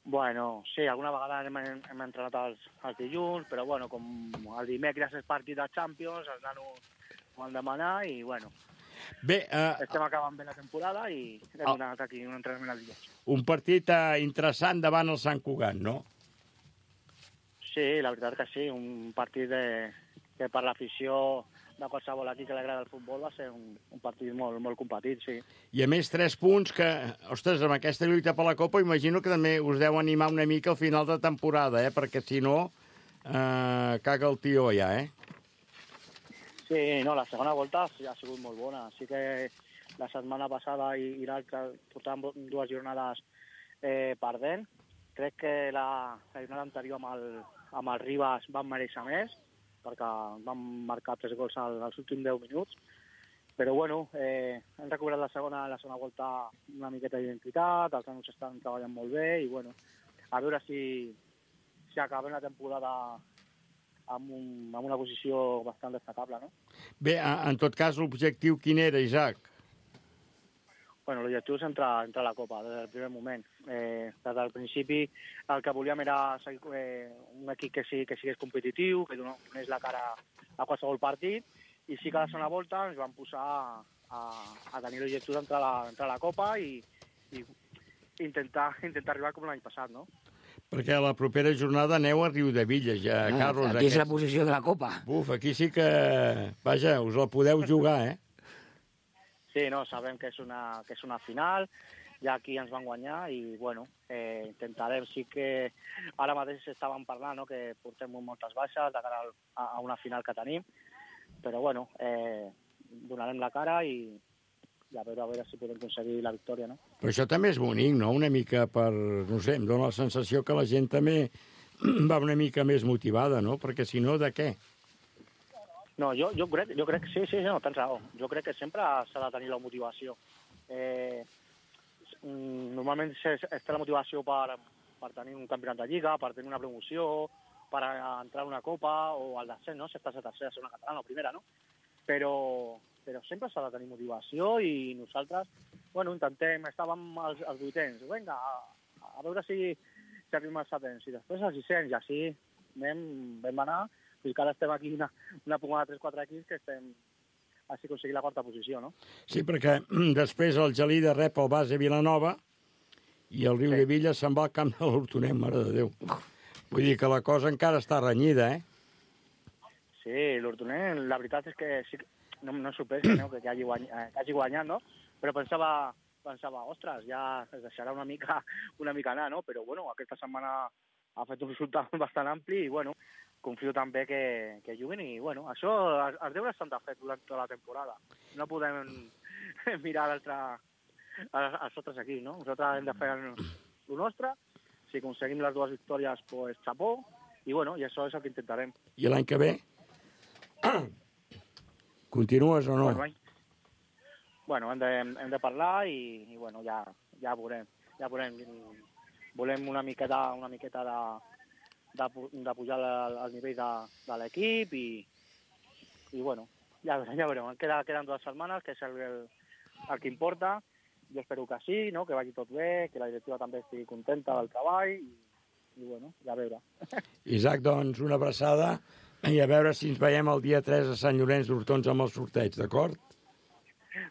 Bueno, sí, alguna vegada hem entrenat els dilluns, però bueno, com el dimecres és partit de Champions, els nanos ho han demanat i bueno, bé, estem acabant bé la temporada i hem donat aquí un entrenament al dia. Un partit interessant davant el Sant Cugat, no? Sí, la veritat que sí, un partit que per l'afició de qualsevol equip que li agrada el futbol va ser un partit molt, molt competit, sí. I a més 3 punts que, ostres, amb aquesta lluita per la Copa imagino que també us deu animar una mica al final de temporada, perquè si no, caga el tió ja, Sí, no, la segona volta ha sigut molt bona. Sí que la setmana passada i l'altra portàvem 2 jornades perdent. Crec que la jornada anterior amb el Ribas van mereixer més, perquè van marcar 3 gols als últims 10 minuts. Però bueno, hem recuperat la segona volta una miqueta d'identitat, els nanos estan treballant molt bé i bueno, a veure si acabem la temporada amb una posició bastant destacable, no? Bé, en tot cas, l'objectiu quin era, Isaac? Bueno, l'objectiu és entrar a la Copa des del primer moment. Des del principi el que volíem era un equip que sigués competitiu, que donés la cara a qualsevol partit, i sí que a la segona volta ens vam posar a tenir l'objectiu d'entrar a la Copa i intentar arribar com l'any passat, no? Perquè a la propera jornada aneu a Riudebitlles, ja, Carlos. Aquí és la posició de la Copa. Buf, aquí sí que, vaja, us la podeu jugar, Sí, no, sabem que és una final, ja aquí ens van guanyar i, bueno, intentarem, sí que ara mateix estàvem parlant, no?, que portem moltes baixes de cara a una final que tenim, però, bueno, donarem la cara i a veure si podem aconseguir la victòria, no? Però això també és bonic, no?, una mica per, no sé, em dóna la sensació que la gent també va una mica més motivada, no?, perquè si no, de què? No, jo crec que sí, no, tens raó. Jo crec que sempre s'ha de tenir la motivació. Normalment es té la motivació per tenir un campionat de lliga, per tenir una promoció, per entrar a una copa o al descens, no? Si estàs a tercera, segona catalana o primera, no? Però sempre s'ha de tenir motivació i nosaltres, bueno, intentem, estàvem als 800, vinga, a veure si arribem als 700, i després als 600, i així vam anar. Fins que ara estem aquí una pugada de 3-4 equips que estem així aconseguint la 4a posició, no? Sí, perquè després el Gelida rep el base Vilanova i el Riudebitlles se'n va al camp de l'Hortonet, mare de Déu. Vull dir que la cosa encara està renyida, Sí, l'Hortonet, la veritat és que sí, no em sorprès que hagi guanyat, no? Però pensava, ostres, ja es deixarà una mica anar, no? Però, bueno, aquesta setmana ha fet un resultat bastant ampli i, bueno, confio també que juguen i, bueno, això, els deures s'han de fer durant tota la temporada. No podem mirar als altres equips, no? Nosaltres hem de fer el nostre. Si aconseguim les 2 victòries, pues, xapó. I, bueno, i això és el que intentarem. I l'any que ve? Continues o no? Bueno, hem de parlar i bueno, ja veurem. Volem una miqueta de pujar al nivell de l'equip i bueno, ja veurem. Queden 2 setmanes, que és el que importa. Jo espero que sí, no?, que vagi tot bé, que la directiva també estigui contenta del treball i bueno, ja a veure. Isaac, doncs, una abraçada i a veure si ens veiem el dia 3 a Sant Llorenç d'Hortons amb el sorteig, d'acord?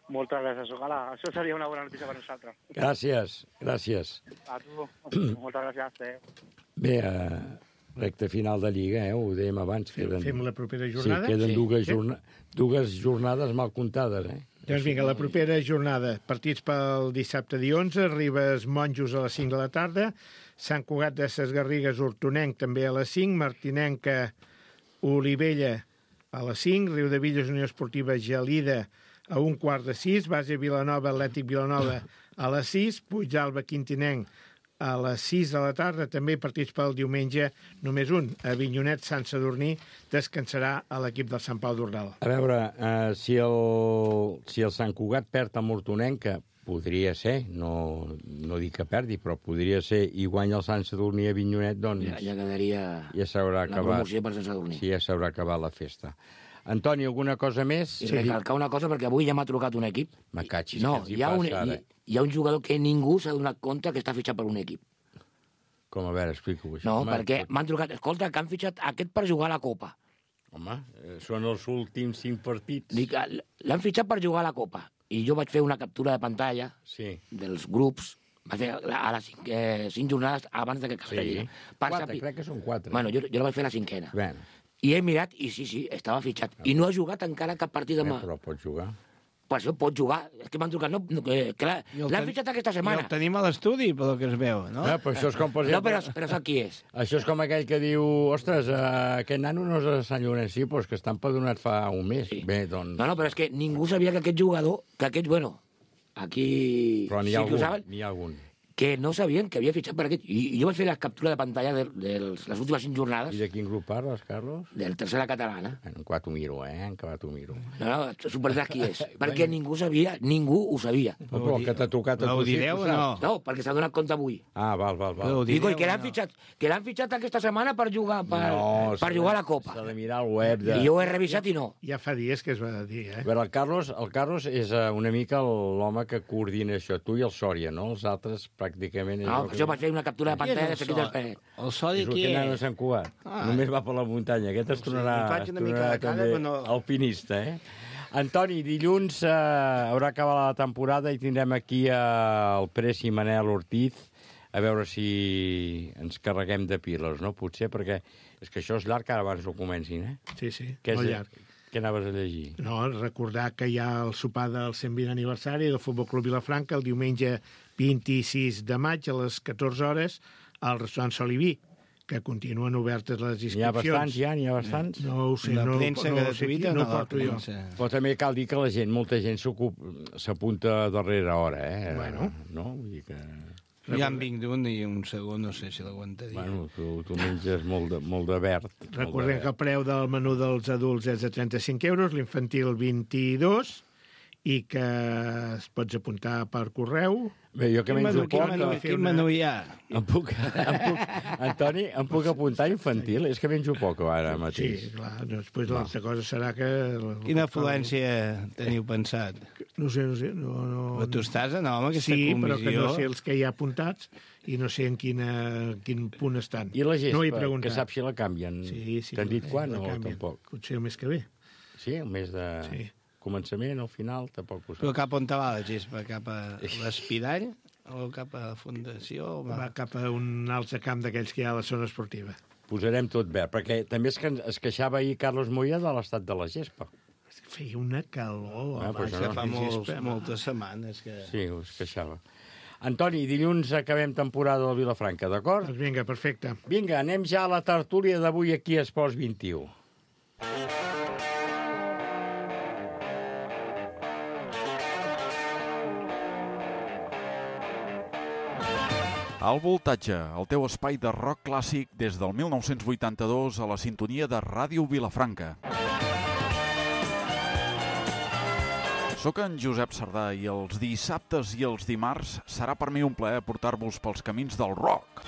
Moltes gràcies, ojalà. Això seria una bona notícia per nosaltres. Gràcies. A tu, moltes gràcies. Bé, recta final de Lliga, ho dèiem abans. Fem la propera jornada? Sí, queden dues jornades mal comptades, Doncs vinga, la propera jornada. Partits pel dissabte dia 11, Ribes Monjos a les 5 de la tarda, Sant Cugat de Ses Garrigues Hortonenc també a les 5, Martinenca Olivella a les 5, Riudebitlles Unió Esportiva Gelida a 5:15, Base Vilanova Atlètic Vilanova A les 6, Puigdàlber Quintinenc. A les 6 de la tarda, també partits pel diumenge, només un. Avinyonet Sant Sadurní descansarà a l'equip del Sant Pau d'Ordal. A veure, si el Sant Cugat perd a Mortonenc, que podria ser, no dic que perdi, però podria ser, i guanya el Sant Sadurní a Avinyonet, doncs... Ja quedaria ja s'haurà acabat. La promoció per Sant Sadurní. Sí, ja s'haurà acabat la festa. Antoni, alguna cosa més? I recalcar una cosa, perquè avui ja m'ha trucat un equip. Me catxis, no, què els passa ara? Hi ha un jugador que ningú s'ha donat compte que està fitxat per un equip. Com, a veure, explico-ho. No, perquè m'han trucat, escolta, que han fitxat aquest per jugar a la Copa. Home, són els últims 5 partits. Dic, l'han fitxat per jugar a la Copa. I jo vaig fer una captura de pantalla dels grups, vaig fer a les 5 jornades abans que Castellà. Crec que són 4. Bueno, jo la vaig fer la 5ena. Bueno. I he mirat, i sí, estava fitxat. I no ha jugat encara cap partit demà. Però pot jugar. Per això pot jugar. És que m'han trucat. L'han fitxat aquesta setmana. I el tenim a l'estudi, pel que es veu, no? Però això és com, per exemple... No, però sap qui és. Això és com aquell que diu, ostres, aquest nano no és de Sant Llorenç, sí, però és que està empadronat fa un mes. Sí. Bé, doncs... No, però és que ningú sabia que aquest jugador, aquí... Però n'hi ha algun. Que no sabien que havia fitxat per aquest. I jo vaig fer la captura de pantalla de les últimes 5 jornades. I de quin grup parles, Carlos? Del Tercera Catalana. Encara t'ho miro, encara t'ho miro. No, superaràs qui és. Perquè ningú ho sabia. Però que t'ha tocat a tu. Ho direu o no? No, perquè s'ha donat compte avui. Ah, val. Digo, que l'han fitxat aquesta setmana per jugar per jugar a la Copa. S'ha de mirar al web. I jo ho he revisat i no. Ja fa dies que es va dir, A veure, el Carlos és una mica l'home que coordina això. Tu i el Sòria, no? Els altres pràcticament... No, jo vaig fer una captura de pantalla de Seguit del Pere. El Sòria qui és? És el que anava a Sant Cugat. Només va per la muntanya. Aquest es tornarà també alpinista, Antoni, dilluns haurà acabat la temporada i tindrem aquí el Pres i Manel Ortiz a veure si ens carreguem de piles, no? Potser, perquè és que això és llarg, ara abans ho comencin, Sí, molt llarg. Què anaves a llegir? No, recordar que hi ha el sopar del 120 aniversari del Futbol Club Vilafranca el diumenge 26 de maig a les 14 hores al restaurant Soliví, que continuen obertes les inscripcions. N'hi ha bastants? No ho sé, la premsa gratuïta no porto jo. Però també cal dir que molta gent s'apunta a darrera hora, Bueno. No? Vull dir que... Ja en vinc d'un i un segon, no sé si l'aguantaria. Bueno, tu menges molt de verd. Recordem que el preu del menú dels adults és de 35 euros, l'infantil 22, i que es pots apuntar per correu. Bé, jo que menjo poc... Quin menú hi ha? Antoni, em puc apuntar infantil? És que menjo poc ara mateix. Sí, clar. Després l'altra cosa serà que... Quina afluència teniu pensat? No sé. Però tu estàs en aquesta comissió? Sí, però que no sé els que hi ha apuntats i no sé en quin punt estan. I la gespa, no que saps si la canvien? Sí. T'han dit quan o tampoc? Potser el mes que ve. Sí, el mes de... Sí. Començament, al final, tampoc ho saps. Però cap on te va la gespa? Cap a l'Espidall? O cap a la Fundació? Va cap a un altre camp d'aquells que hi ha a la zona esportiva. Posarem tot verd, perquè també es queixava ahir Carlos Moya de l'estat de la gespa. Feia una calor. Fa moltes setmanes que... Sí, es queixava. Antoni, dilluns acabem temporada del Vilafranca, d'acord? Doncs vinga, perfecte. Vinga, anem ja a la tertúlia d'avui aquí a Esports 21. Al Voltatge, el teu espai de rock clàssic des del 1982 a la sintonia de Ràdio Vilafranca. Soc en Josep Sardà i els dissabtes i els dimarts serà per mi un plaer portar-vos pels camins del rock.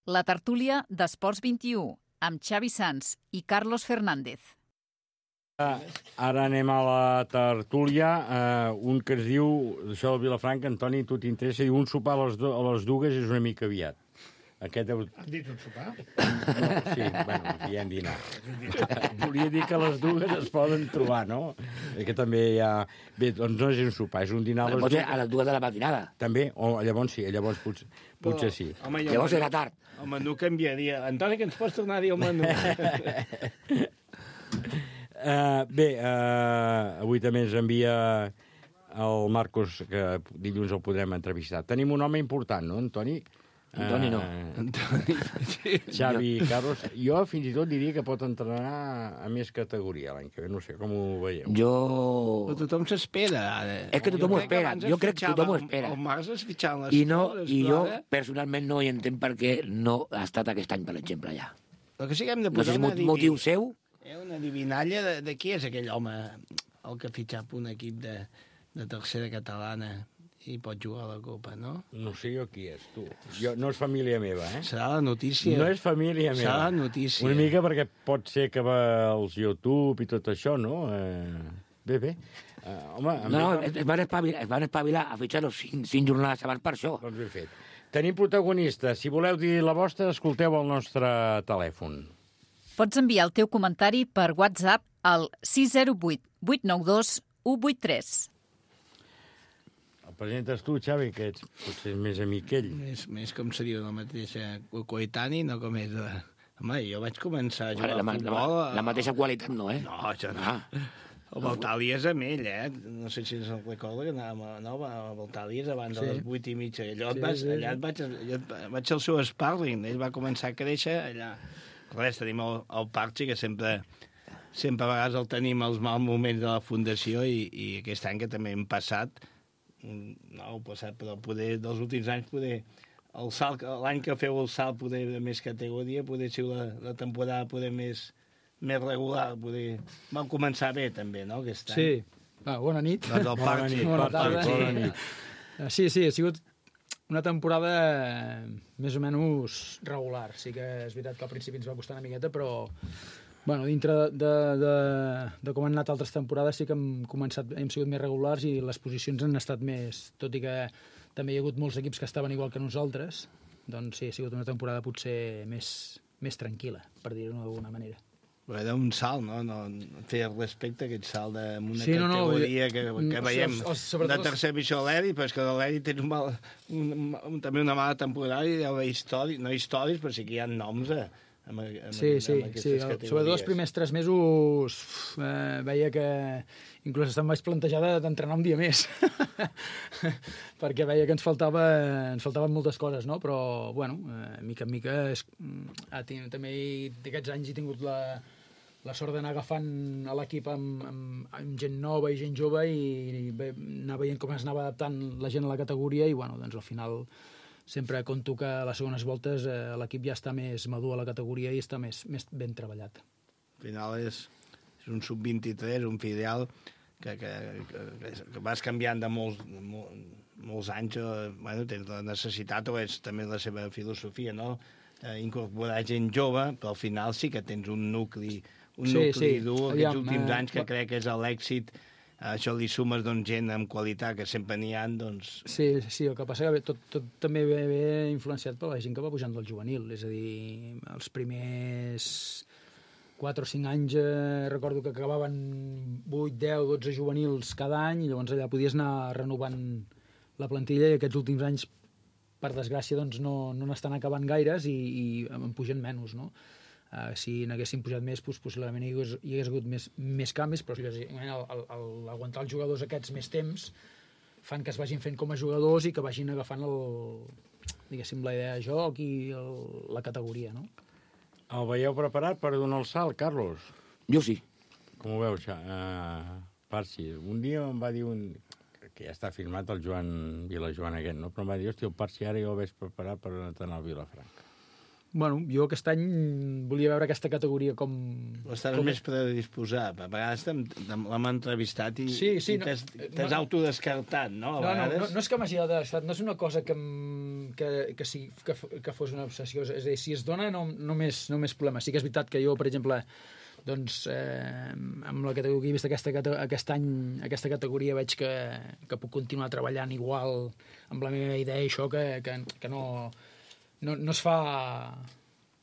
La tertúlia d'Esports 21, amb Xavi Sans i Carlos Fernández. Ara anem a la tertúlia. Un que es diu, això del Vilafranca, Antoni, tu t'interessa, diu un sopar a les dues és una mica aviat. Han dit un sopar? No, sí, bueno, diem dinar. Volia dir que les dues es poden trobar, no? Que també hi ha... Bé, doncs no és un sopar, és un dinar a les Pot dues. ser a les 2 de la matinada. També? O llavors sí, llavors potser sí. Home, Llavors era tard. El menú canviaria. Antoni, que ens pots tornar a dir el menú? Bé, avui també ens envia el Marcos, que dilluns el podrem entrevistar. Tenim un home important, no, Antoni? Antoni no. Xavi Carlos. Jo fins i tot diria que pot entrenar a més categoria l'any que ve. No sé com ho veieu. Però tothom s'espera, ara. És que tothom ho espera. Jo crec que tothom ho espera. El Marcs es fitxaven les coses. I jo, personalment, no hi entenc per què no ha estat aquest any, per exemple, allà. El que sí que hem de No sé posar si motiu seu. una adivinalla de qui és aquell home, el que ha fitxat un equip de tercera catalana i pot jugar a la Copa, no? No sé jo qui és, tu. No és família meva, eh? Serà la notícia. No és família meva. Serà la notícia. Una mica perquè pot ser que va als YouTube i tot això, no? Bé. Home... No, es van espavilar a fitxar-lo 5 jornades abans per això. Doncs ben fet. Tenim protagonistes. Si voleu dir la vostra, escolteu el nostre telèfon. Pots enviar el teu comentari per WhatsApp al 608 892 183. El presentes tu, Xavi, que ets potser més amic ell. Més com se diu la mateixa coetani, no com és de... Home, jo vaig començar a jugar a futbol... La mateixa qualitat no, eh? No, això no. El Baltàlies amb ell, eh? No sé si se'n recorda que anàvem a Baltàlies abans de les 8:30. Allà vaig al seu sparring. Ell va començar a créixer allà. Res, tenim el Parchi, que sempre a vegades el tenim als mals moments de la fundació i aquest any que també hem passat, però poder, dels últims anys, l'any que feu el salt poder de més categoria, poder ser la temporada poder més regular, vam començar bé també, no, aquest any? Sí, bona nit. Bona tarda. Sí, ha sigut una temporada més o menys regular. Sí que és veritat que al principi ens va costar una miqueta, però dintre de com han anat altres temporades sí que hem sigut més regulars i les posicions han estat més... Tot i que també hi ha hagut molts equips que estaven igual que nosaltres, doncs sí, ha sigut una temporada potser més tranquil·la, per dir-ho d'alguna manera. Era un salt, no? Feia respecte a aquest salt d'una categoria que veiem de tercer divisió a l'Eri, però és que a l'Eri tens també una mala temporada i deu haver històries, no històries, però sí que hi ha noms Sí. Sobretot els primers 3 mesos veia que inclús em vaig plantejar d'entrenar un dia més perquè veia que ens faltaven moltes coses, no? Però, mica en mica també d'aquests anys he tingut la sort d'anar agafant a l'equip amb gent nova i gent jove i anar veient com es anava adaptant la gent a la categoria i, doncs al final sempre conto que a les segones voltes l'equip ja està més madur a la categoria i està més ben treballat. Al final és un sub-23, un filial que vas canviant de molts anys, tens la necessitat, o és també la seva filosofia, no? Incorporar gent jove, però al final sí que tens un nucli dur aquests últims anys que crec que és l'èxit. Això li sumes gent amb qualitat, que sempre n'hi ha, doncs... Sí, el que passa que tot també ve influenciat per la gent que va pujant del juvenil, és a dir, els primers 4 o 5 anys recordo que acabaven 8, 10, 12 juvenils cada any i llavors allà podies anar renovant la plantilla i aquests últims anys, per desgràcia, doncs no n'estan acabant gaires i en pugen menys, no? Si n'haguessin pujat més, possiblement hi hagués hagut més canvis, però l'aguantar els jugadors aquests més temps fan que es vagin fent com a jugadors i que vagin agafant la idea de joc i la categoria, no? El veieu preparat per donar el salt, Carlos? Jo sí. Com ho veus, Parsi? Un dia em va dir que ja està firmat el Joan Vilajoan aquest, no? Però em va dir, el Parsi ara ja ho veig preparat per anar al Vilafranca. Jo aquest any volia veure aquesta categoria com... Estàs més predisposat. A vegades l'hem entrevistat i t'has autodescartat, no? No és que m'hagi autodescartat, no és una cosa que fos una obsessió. És a dir, si es dona, no més problema. Sí que és veritat que jo, per exemple, amb la categoria que he vist aquest any, aquesta categoria veig que puc continuar treballant igual amb la meva idea i això, que no es fa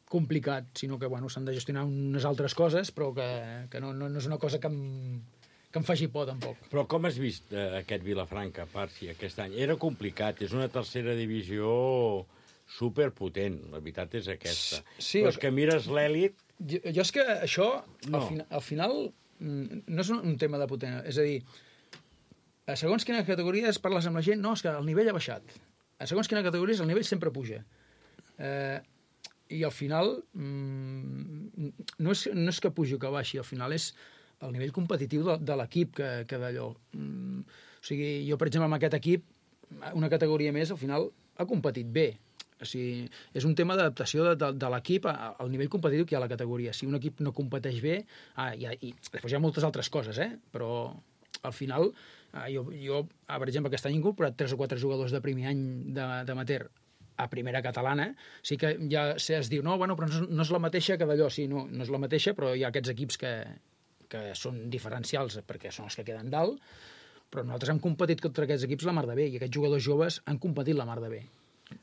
complicat, sinó que bueno, s'han de gestionar unes altres coses, però que no és una cosa que em faci por, tampoc. Però com has vist aquest Vilafranca, Parsi, aquest any? Era complicat, és una tercera divisió superpotent, la veritat és aquesta. Sí, però és que mires l'èlit... Jo és que això, al final, no és un tema de potent. És a dir, a segons quines categories parles amb la gent, no, és que el nivell ha baixat. A segons quines categories el nivell sempre puja. I al final, no és que pugi o que baixi, al final és el nivell competitiu de l'equip que d'allò. O sigui, jo, per exemple, amb aquest equip, una categoria més, al final, ha competit bé. O sigui, és un tema d'adaptació de l'equip al nivell competitiu que hi ha a la categoria. Si un equip no competeix bé, i després hi ha moltes altres coses, però al final, jo per exemple, aquest any he incorporat 3 o 4 jugadors de primer any d'amateur a primera catalana, sí que ja es diu, no, bueno, però no és la mateixa que d'allò, sí, no és la mateixa, però hi ha aquests equips que són diferencials perquè són els que queden dalt, però nosaltres hem competit contra aquests equips la mar de bé, i aquests jugadors joves han competit la mar de bé.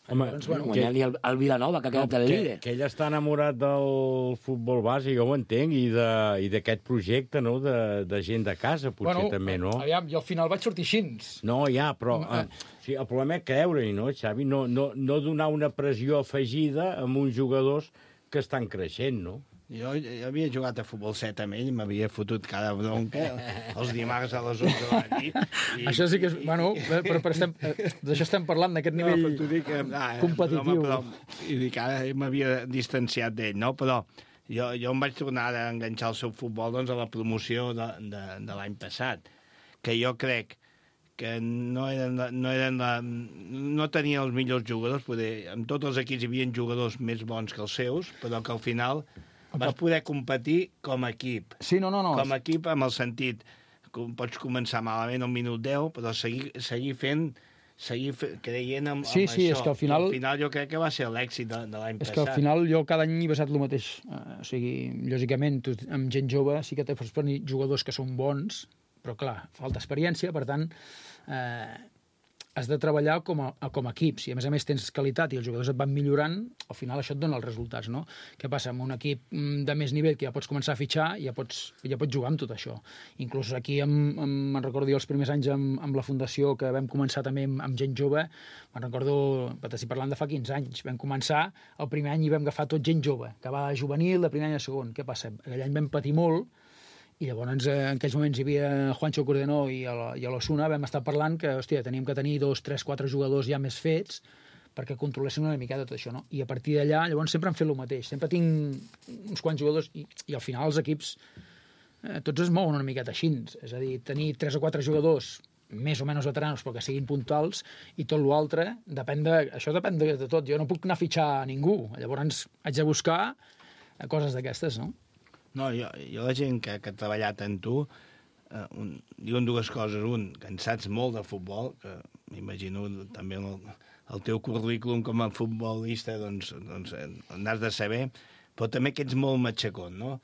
Home, guanyant-li el Vilanova, que ha quedat el líder. Que ell està enamorat del futbol base, jo ho entenc, i d'aquest projecte, no?, de gent de casa, potser també, no? Aviam, jo al final vaig sortir així. No, ja, però sí, el problema és creure-hi, no, Xavi? No donar una pressió afegida amb uns jugadors que estan creixent, no? Jo havia jugat a futbol 7 amb ell, m'havia fotut cada bronca els dimarts a les 11 de la nit. Això sí que és... Bueno, però d'això estem parlant, d'aquest nivell competitiu. I dic, ara m'havia distanciat d'ell, no? Però jo em vaig tornar a enganxar el seu futbol a la promoció de l'any passat, que jo crec que no tenia els millors jugadors, amb tots els equips hi havia jugadors més bons que els seus, però que al final vas poder competir com a equip. Sí, no. Com a equip, amb el sentit que pots començar malament al minut 10, però seguir creient amb això. Sí, és que al final jo crec que va ser l'èxit de l'any passat. És que al final jo cada any he basat el mateix. O sigui, lògicament, amb gent jove sí que pots tenir jugadors que són bons, però clar, falta experiència, per tant, has de treballar com a equip. Si a més tens qualitat i els jugadors et van millorant, al final això et dona els resultats, no? Què passa? Amb un equip de més nivell que ja pots començar a fitxar, ja pots jugar amb tot això. Inclús aquí, me'n recordo jo els primers anys amb la fundació, que vam començar també amb gent jove, me'n recordo, estic parlant de fa 15 anys, vam començar el primer any i vam agafar tot gent jove, que va de juvenil, de primer any a segon. Què passa? Aquell any vam patir molt, i llavors en aquells moments hi havia Juancho Cordenó i a l'Osuna, vam estar parlant que, hòstia, teníem que tenir 2, 3, 4 jugadors ja més fets perquè controlessin una miqueta tot això, no? I a partir d'allà, llavors sempre hem fet el mateix. Sempre tinc uns quants jugadors i al final els equips tots es mouen una miqueta així. És a dir, tenir 3 o 4 jugadors més o menys veteranos però que siguin puntuals i tot l'altre, això depèn de tot. Jo no puc anar a fitxar a ningú. Llavors haig de buscar coses d'aquestes, no? No, jo la gent que ha treballat en tu diuen dues coses. Un, que en saps molt de futbol, que m'imagino també el teu currículum com a futbolista doncs n'has de saber, però també que ets molt matxacón, no?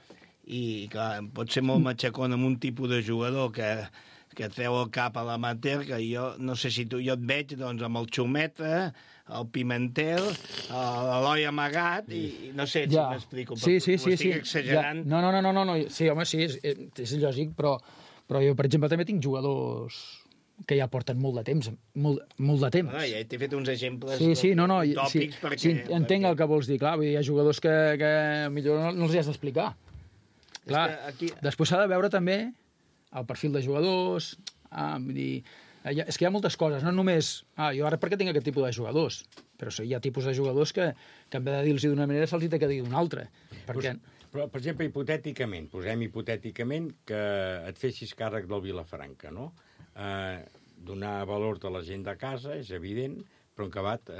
I clar, pot ser molt matxacón amb un tipus de jugador que treu el cap a l'amateur, que jo no sé si jo et veig doncs, amb el Xumeta, el Pimentel, l'Eloi amagat, i no sé si m'explico, però ho estic exagerant. No, sí, home, sí, és lògic, però jo, per exemple, també tinc jugadors que ja porten molt de temps, molt de temps. Ja t'he fet uns exemples tòpics perquè... Sí, entenc el que vols dir, clar, hi ha jugadors que millor no els has d'explicar. Clar, després s'ha de veure també el perfil de jugadors, vull dir... És que hi ha moltes coses, no només... jo ara per què tinc aquest tipus de jugadors? Però hi ha tipus de jugadors que en vez de dir-los d'una manera se'ls ha de dir d'una altra. Perquè... Però, per exemple, posem hipotèticament que et fessis càrrec del Vilafranca, no? Donar valor a la gent de casa, és evident, però en acabat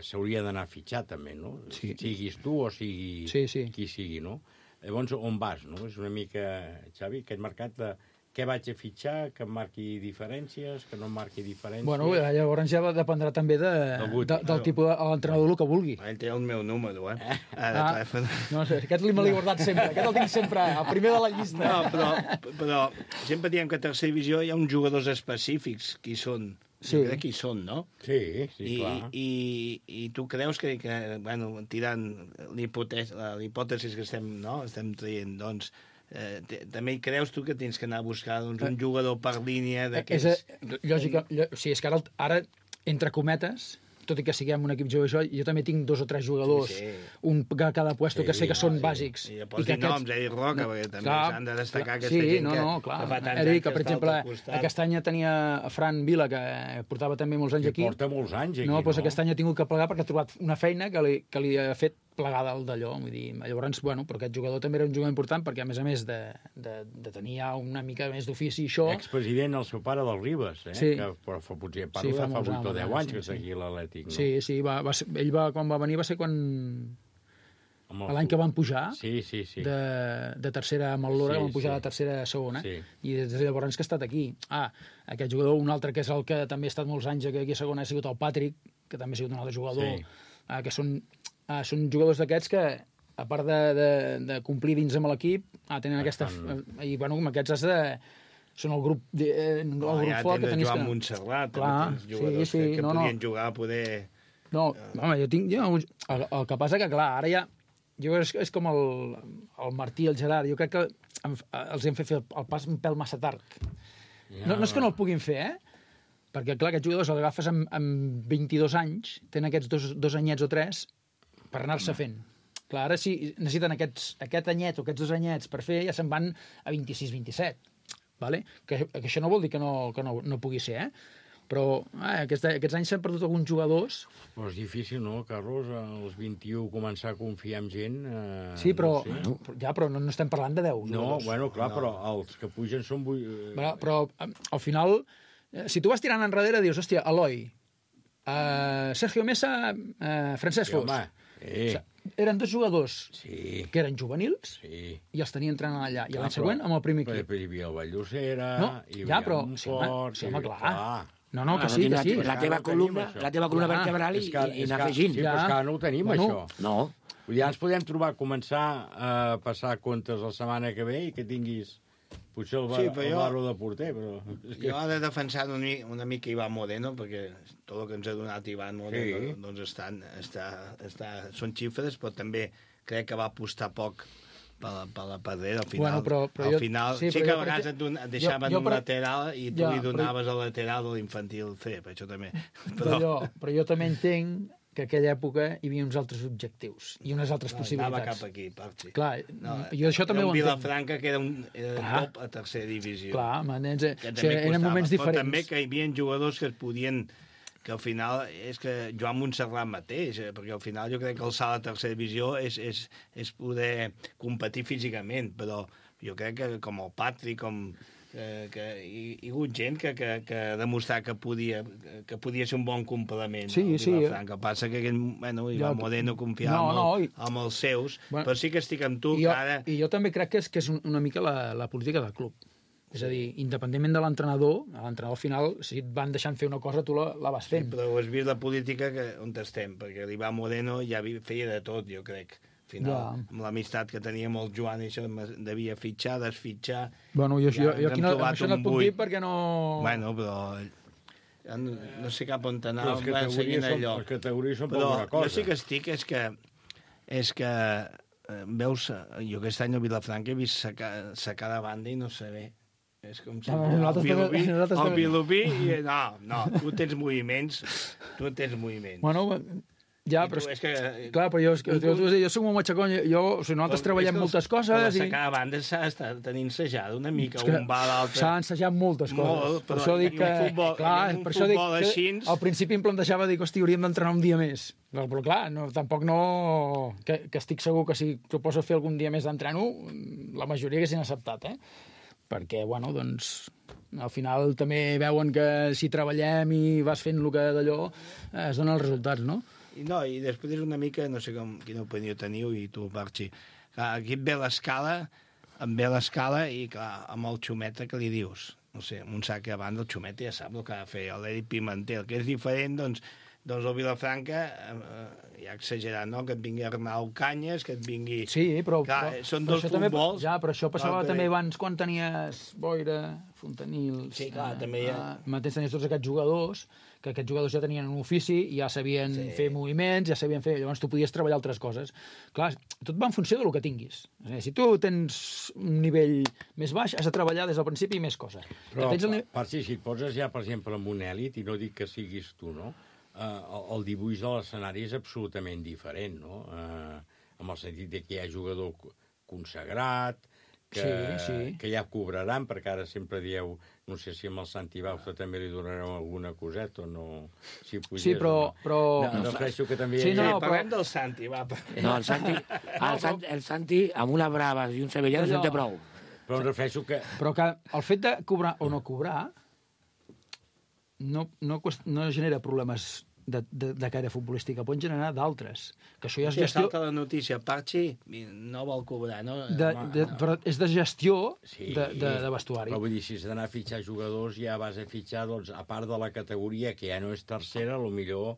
s'hauria d'anar a fitxar també, no? Sí. Siguis tu o sigui qui sigui, no? Llavors, on vas, no? És una mica, Xavi, aquest mercat de... Què vaig a fitxar, que em marqui diferències, que no em marqui diferències... Bueno, llavors ja dependrà també del tipus de l'entrenador el que vulgui. Ell té el meu número, de telèfon. No sé, aquest me l'he guardat sempre, aquest el tinc sempre, el primer de la llista. No, però sempre diem que a tercera divisió hi ha uns jugadors específics, qui són jo crec que hi són, no? Sí, clar. I tu creus que bueno, tirant l'hipòtesi que estem traient, doncs, també hi creus tu que tens que anar a buscar un jugador per línia d'aquests... Lògica, sí, és que ara, entre cometes, tot i que siguem un equip jove, jo també tinc 2 o 3 jugadors, un a cada puesto que sé que són bàsics. I pots dir noms, Eric Roca, perquè també s'han de destacar aquesta gent que fa tants anys Eric, que per està exemple, al teu costat. aquest any tenia Fran Vila, que portava també molts anys aquí. Que porta molts anys aquí, no? Doncs aquest any ha tingut que plegar perquè ha trobat una feina que li ha fet plegar dalt d'allò. Vull dir, llavors, bueno, però aquest jugador també era un jugador important perquè, a més de tenir una mica més d'ofici i això... Expresident, el seu pare del Ribes, sí. Que potser parlo de fa 8 o 10 anys que està aquí a l'Atlètic, no? Sí, ell quan va venir va ser l'any que van pujar de tercera amb el Lora, que van pujar de tercera a segona, i des de llavors que ha estat aquí. Aquest jugador, un altre que és el que també ha estat molts anys aquí a segona, ha sigut el Patrick, que també ha sigut un altre jugador, que són jugadors d'aquests que, a part de complir dins amb l'equip, tenen aquesta... I, bueno, amb aquests has de... Són el grup fort que tens de jugar a Montserrat, tens jugadors que podien jugar a poder... No, home, jo tinc... El que passa que, clar, ara ja... És com el Martí i el Gerard. Jo crec que els hem fet fer el pas un pèl massa tard. No és que no el puguin fer, perquè, clar, aquests jugadors els agafes amb 22 anys, tenen aquests 2 anyets o 3 per anar-se fent. Clar, ara si necessiten aquest anyet o aquests 2 anyets per fer, ja se'n van a 26-27. Vale? Que això no vol dir que no pugui ser, però aquests anys s'han perdut alguns jugadors. Però és difícil, no, Carlos, als 21 començar a confiar en gent? Sí, però no estem parlant de 10 jugadors. No, bueno, clar, però els que pugen són... Però al final, si tu vas tirant enrere, dius, hòstia, Eloi, Sergio Mesa, Francesc Fos. Eren 2 jugadors que eren juvenils i els tenien entrenant allà. I l'any següent amb el primer equip. Però hi havia el Valldosera, hi havia Montfort... Sí, home, clar. No, que sí. La teva columna vertebral i anar afegint. Sí, però és que ara no ho tenim, això. No. Ja ens podem trobar, començar a passar comptes la setmana que ve i que tinguis... Potser el barro de porter, però... Jo he de defensar una mica Iván Moreno, perquè tot el que ens ha donat Iván Moreno doncs són xifres, però també crec que va apostar poc per la pedrera. Al final, al final sí que a vegades et deixaven un lateral i tu li donaves al lateral de l'infantil C, per això també. Però jo també entenc que en aquella època hi havia uns altres objectius i unes altres possibilitats. Anava cap aquí, Parchi. Clar, jo això també ho entenc. Vilafranca, que era top a tercera divisió. Clar, eren moments diferents. Però també que hi havia jugadors que es podien... que al final és que Joan Montserrat mateix, perquè al final jo crec que el salt a tercera divisió és poder competir físicament, però jo crec que com el Patrick, que hi ha hagut gent que ha demostrat que podia ser un bon complement al Vilafranca. El que passa que Iván Moreno confiava amb els seus, però sí que estic amb tu que ara... I jo també crec que és una mica la política del club. És a dir, independentment de l'entrenador al final, si et van deixant fer una cosa, tu la vas fent. Sí, però has vist la política on estem, perquè l'Iván Moreno ja feia de tot, jo crec. Al final, amb l'amistat que tenia amb el Joan, això devia fitxar, desfitxar... Bueno, jo aquí això no et puc dir perquè no... Bueno, però no sé cap on anar, seguint allò. Les categories són per una cosa. Jo sí que estic, és que veus, jo aquest any a Vilafranca he vist sacar de banda i no saber. És com si el Vilobí... No, tu tens moviments. Bueno, ja, però clar, però jo soc un matxacón, nosaltres treballem moltes coses... Però sacar de banda s'ha d'estar tenint ensajada una mica, un va a l'altre... S'ha ensajat moltes coses. Per això dic que... Per això dic que al principi em plantejava, hosti, hauríem d'entrenar un dia més. Però clar, tampoc no... Que estic segur que si proposo fer algun dia més d'entreno, la majoria haguessin acceptat, perquè, bueno, doncs, al final també veuen que si treballem i vas fent el que d'allò, es donen els resultats, no? I després és una mica, no sé quina opinió teniu, i tu, Parchi, aquí et ve l'escala i, clar, amb el Xumeta, què li dius? No sé, amb un sac a banda, el Xumeta ja sap el que ha de fer, l'Eric Pimentel, que és diferent, doncs, Doncs el Vilafranca, ja exagerat, no?, que et vingui Arnau Canyes, que et vingui... Sí, però... Clar, són dos futbols... Ja, però això passava també abans quan tenies Boira, Fontanil... Sí, clar, també hi ha... Mateix tenies tots aquests jugadors, que aquests jugadors ja tenien un ofici, ja sabien fer moviments, ja sabien fer... Llavors tu podies treballar altres coses. Clar, tot va en funció del que tinguis. Si tu tens un nivell més baix, has de treballar des del principi i més coses. Però, si et poses ja, per exemple, amb un èlit, i no dic que siguis tu, no?, el dibuix de l'escenari és absolutament diferent, no? En el sentit que hi ha jugador consagrat, que ja cobraran, perquè ara sempre dieu, no sé si amb el Santi Bauza també li donareu alguna coseta o no, si pugés, sí, però... No, refereixo que també... Sí, no, parlem del Santi, va. No, el Santi, amb una brava i un sevillano se'n té prou. Però em refereixo que... Però que el fet de cobrar o no cobrar no genera problemes de caire futbolística, poden generar d'altres. Que això ja és gestió... Salta la notícia, Parchi no vol cobrar, no? Però és de gestió de vestuari. Però vull dir, si s'ha d'anar a fitxar jugadors, ja vas a fitxar, doncs, a part de la categoria, que ja no és tercera, millor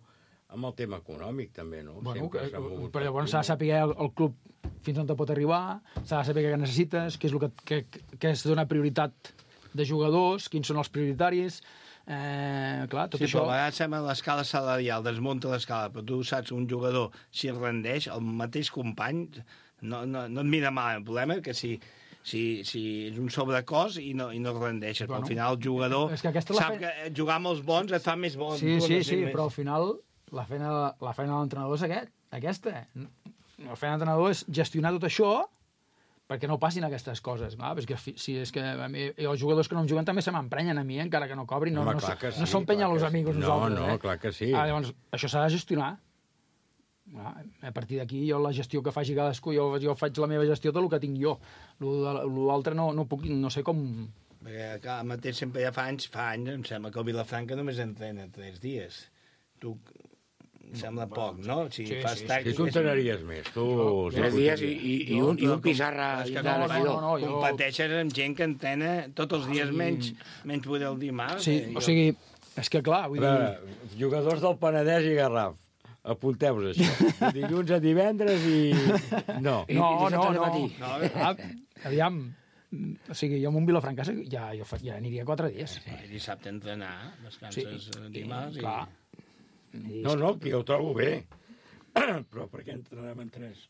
amb el tema econòmic, també, no? Bueno, però llavors s'ha de saber el club fins on te pot arribar, s'ha de saber què necessites, què és el que es dona prioritat de jugadors, quins són els prioritaris... clar, tot sí, això... però a vegades sembla l'escala salarial, desmunta l'escala, però tu saps un jugador, si es rendeix, el mateix company no et mira mal. El problema és que si és un sobrecost i no es rendeixes, però al final el jugador sap que jugar amb els bons et fa més bon. Sí, però al final la feina de l'entrenador és aquesta. La feina de l'entrenador és gestionar tot això perquè no passin aquestes coses. Clar, perquè si és que els jugadors que no em juguen també se m'emprenyen a mi, encara que no cobrin. No són penya los amigos nosaltres. No, clar que sí. Llavors, això s'ha de gestionar. A partir d'aquí, jo la gestió que faci cadascú, jo faig la meva gestió del que tinc jo. L'altre no puc, no sé com... Perquè, clar, mateix sempre ja fa anys, em sembla que el Vilafranca només entrena 3 dies. Tu... Sembla poc, no? Si tu entrenaries més. 3 dies i un pissarra. Competeixes amb gent que entrena tots els dies menys poder el dimarts. Sí, o sigui, és que clar... Jugadors del Penedès i Garraf, apunteu-vos això. Dilluns a divendres i... No. Aviam, o sigui, jo amb un Vilafranca ja aniria 4 dies. Dissabte entrenar, descanses dimarts i... No, que jo ho trobo bé. Però per què entrenarem en 3?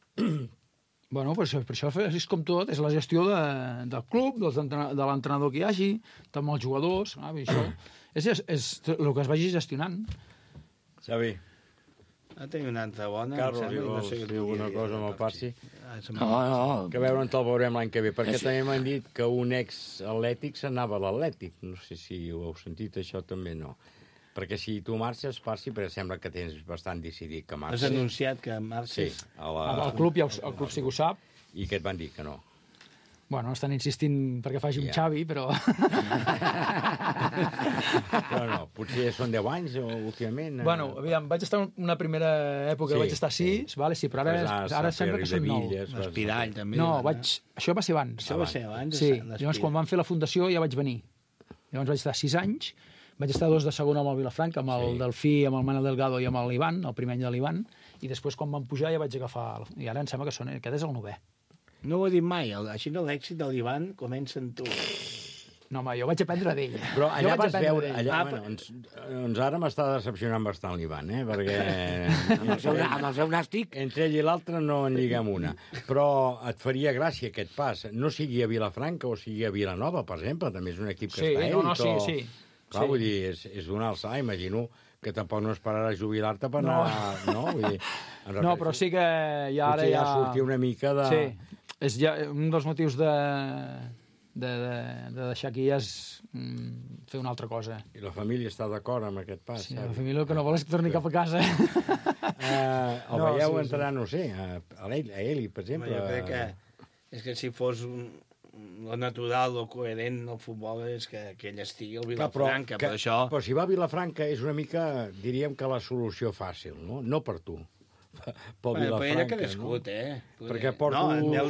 Bueno, per això és com tot, és la gestió del club, de l'entrenador que hi hagi, amb els jugadors, això és el que es vagi gestionant. Xavi. Tinc una altra bona. Carlos, no sé si alguna cosa amb el Parsi. No. Que veure'n te'l veurem l'any que ve, perquè també m'han dit que un ex-atlètic s'anava a l'Atlètic. No sé si ho heu sentit, això també no. Perquè si tu marxes, Parsi, perquè sembla que tens bastant decidit que marxes. Has anunciat que marxes? Sí. El club sí que ho sap. I què et van dir, que no? Bueno, estan insistint perquè faci un Xavi, però... Però no, potser són 10 anys últimament. Bueno, aviam, vaig estar una primera època, vaig estar 6, però ara sembla que són 9. L'Espirall, també. No, això va ser abans. Això va ser abans? Sí, llavors quan van fer la fundació ja vaig venir. Llavors vaig estar 6 anys. Vaig estar 2 de segona amb el Vilafranca, amb el Delfí, amb el Manel Delgado i amb l'Ivan, el primer any de l'Ivan, i després quan van pujar ja vaig agafar... I ara em sembla que aquest és el 9è. No ho he dit mai, així no l'èxit de l'Ivan comença en tu. No, home, jo vaig aprendre d'ell. Però allà vas veure... Doncs ara m'està decepcionant bastant l'Ivan, perquè... Amb el seu nàstic... Entre ell i l'altre no en lliguem una. Però et faria gràcia aquest pas. No sigui a Vilafranca o sigui a Vilanova, per exemple, també és un equip que està èlit. Sí. Clar, vull dir, és donar el salt, imagino que tampoc no esperaràs jubilar-te per anar... No, vull dir... No, però sí que ja ara ja... sortir una mica de... Sí, és ja un dels motius de deixar aquí ja és fer una altra cosa. I la família està d'acord amb aquest pas, sí, la família el que no vol és que torni cap a casa. El veieu entrar, no sé, a Eli, per exemple. Jo crec que és que si fos lo natural, lo coherent del futbol és que ell estigui al Vilafranca, per això... Però si va a Vilafranca és una mica, diríem que la solució fàcil, no? No per tu, pel Vilafranca. Però ella ha crescut, Perquè porto... No,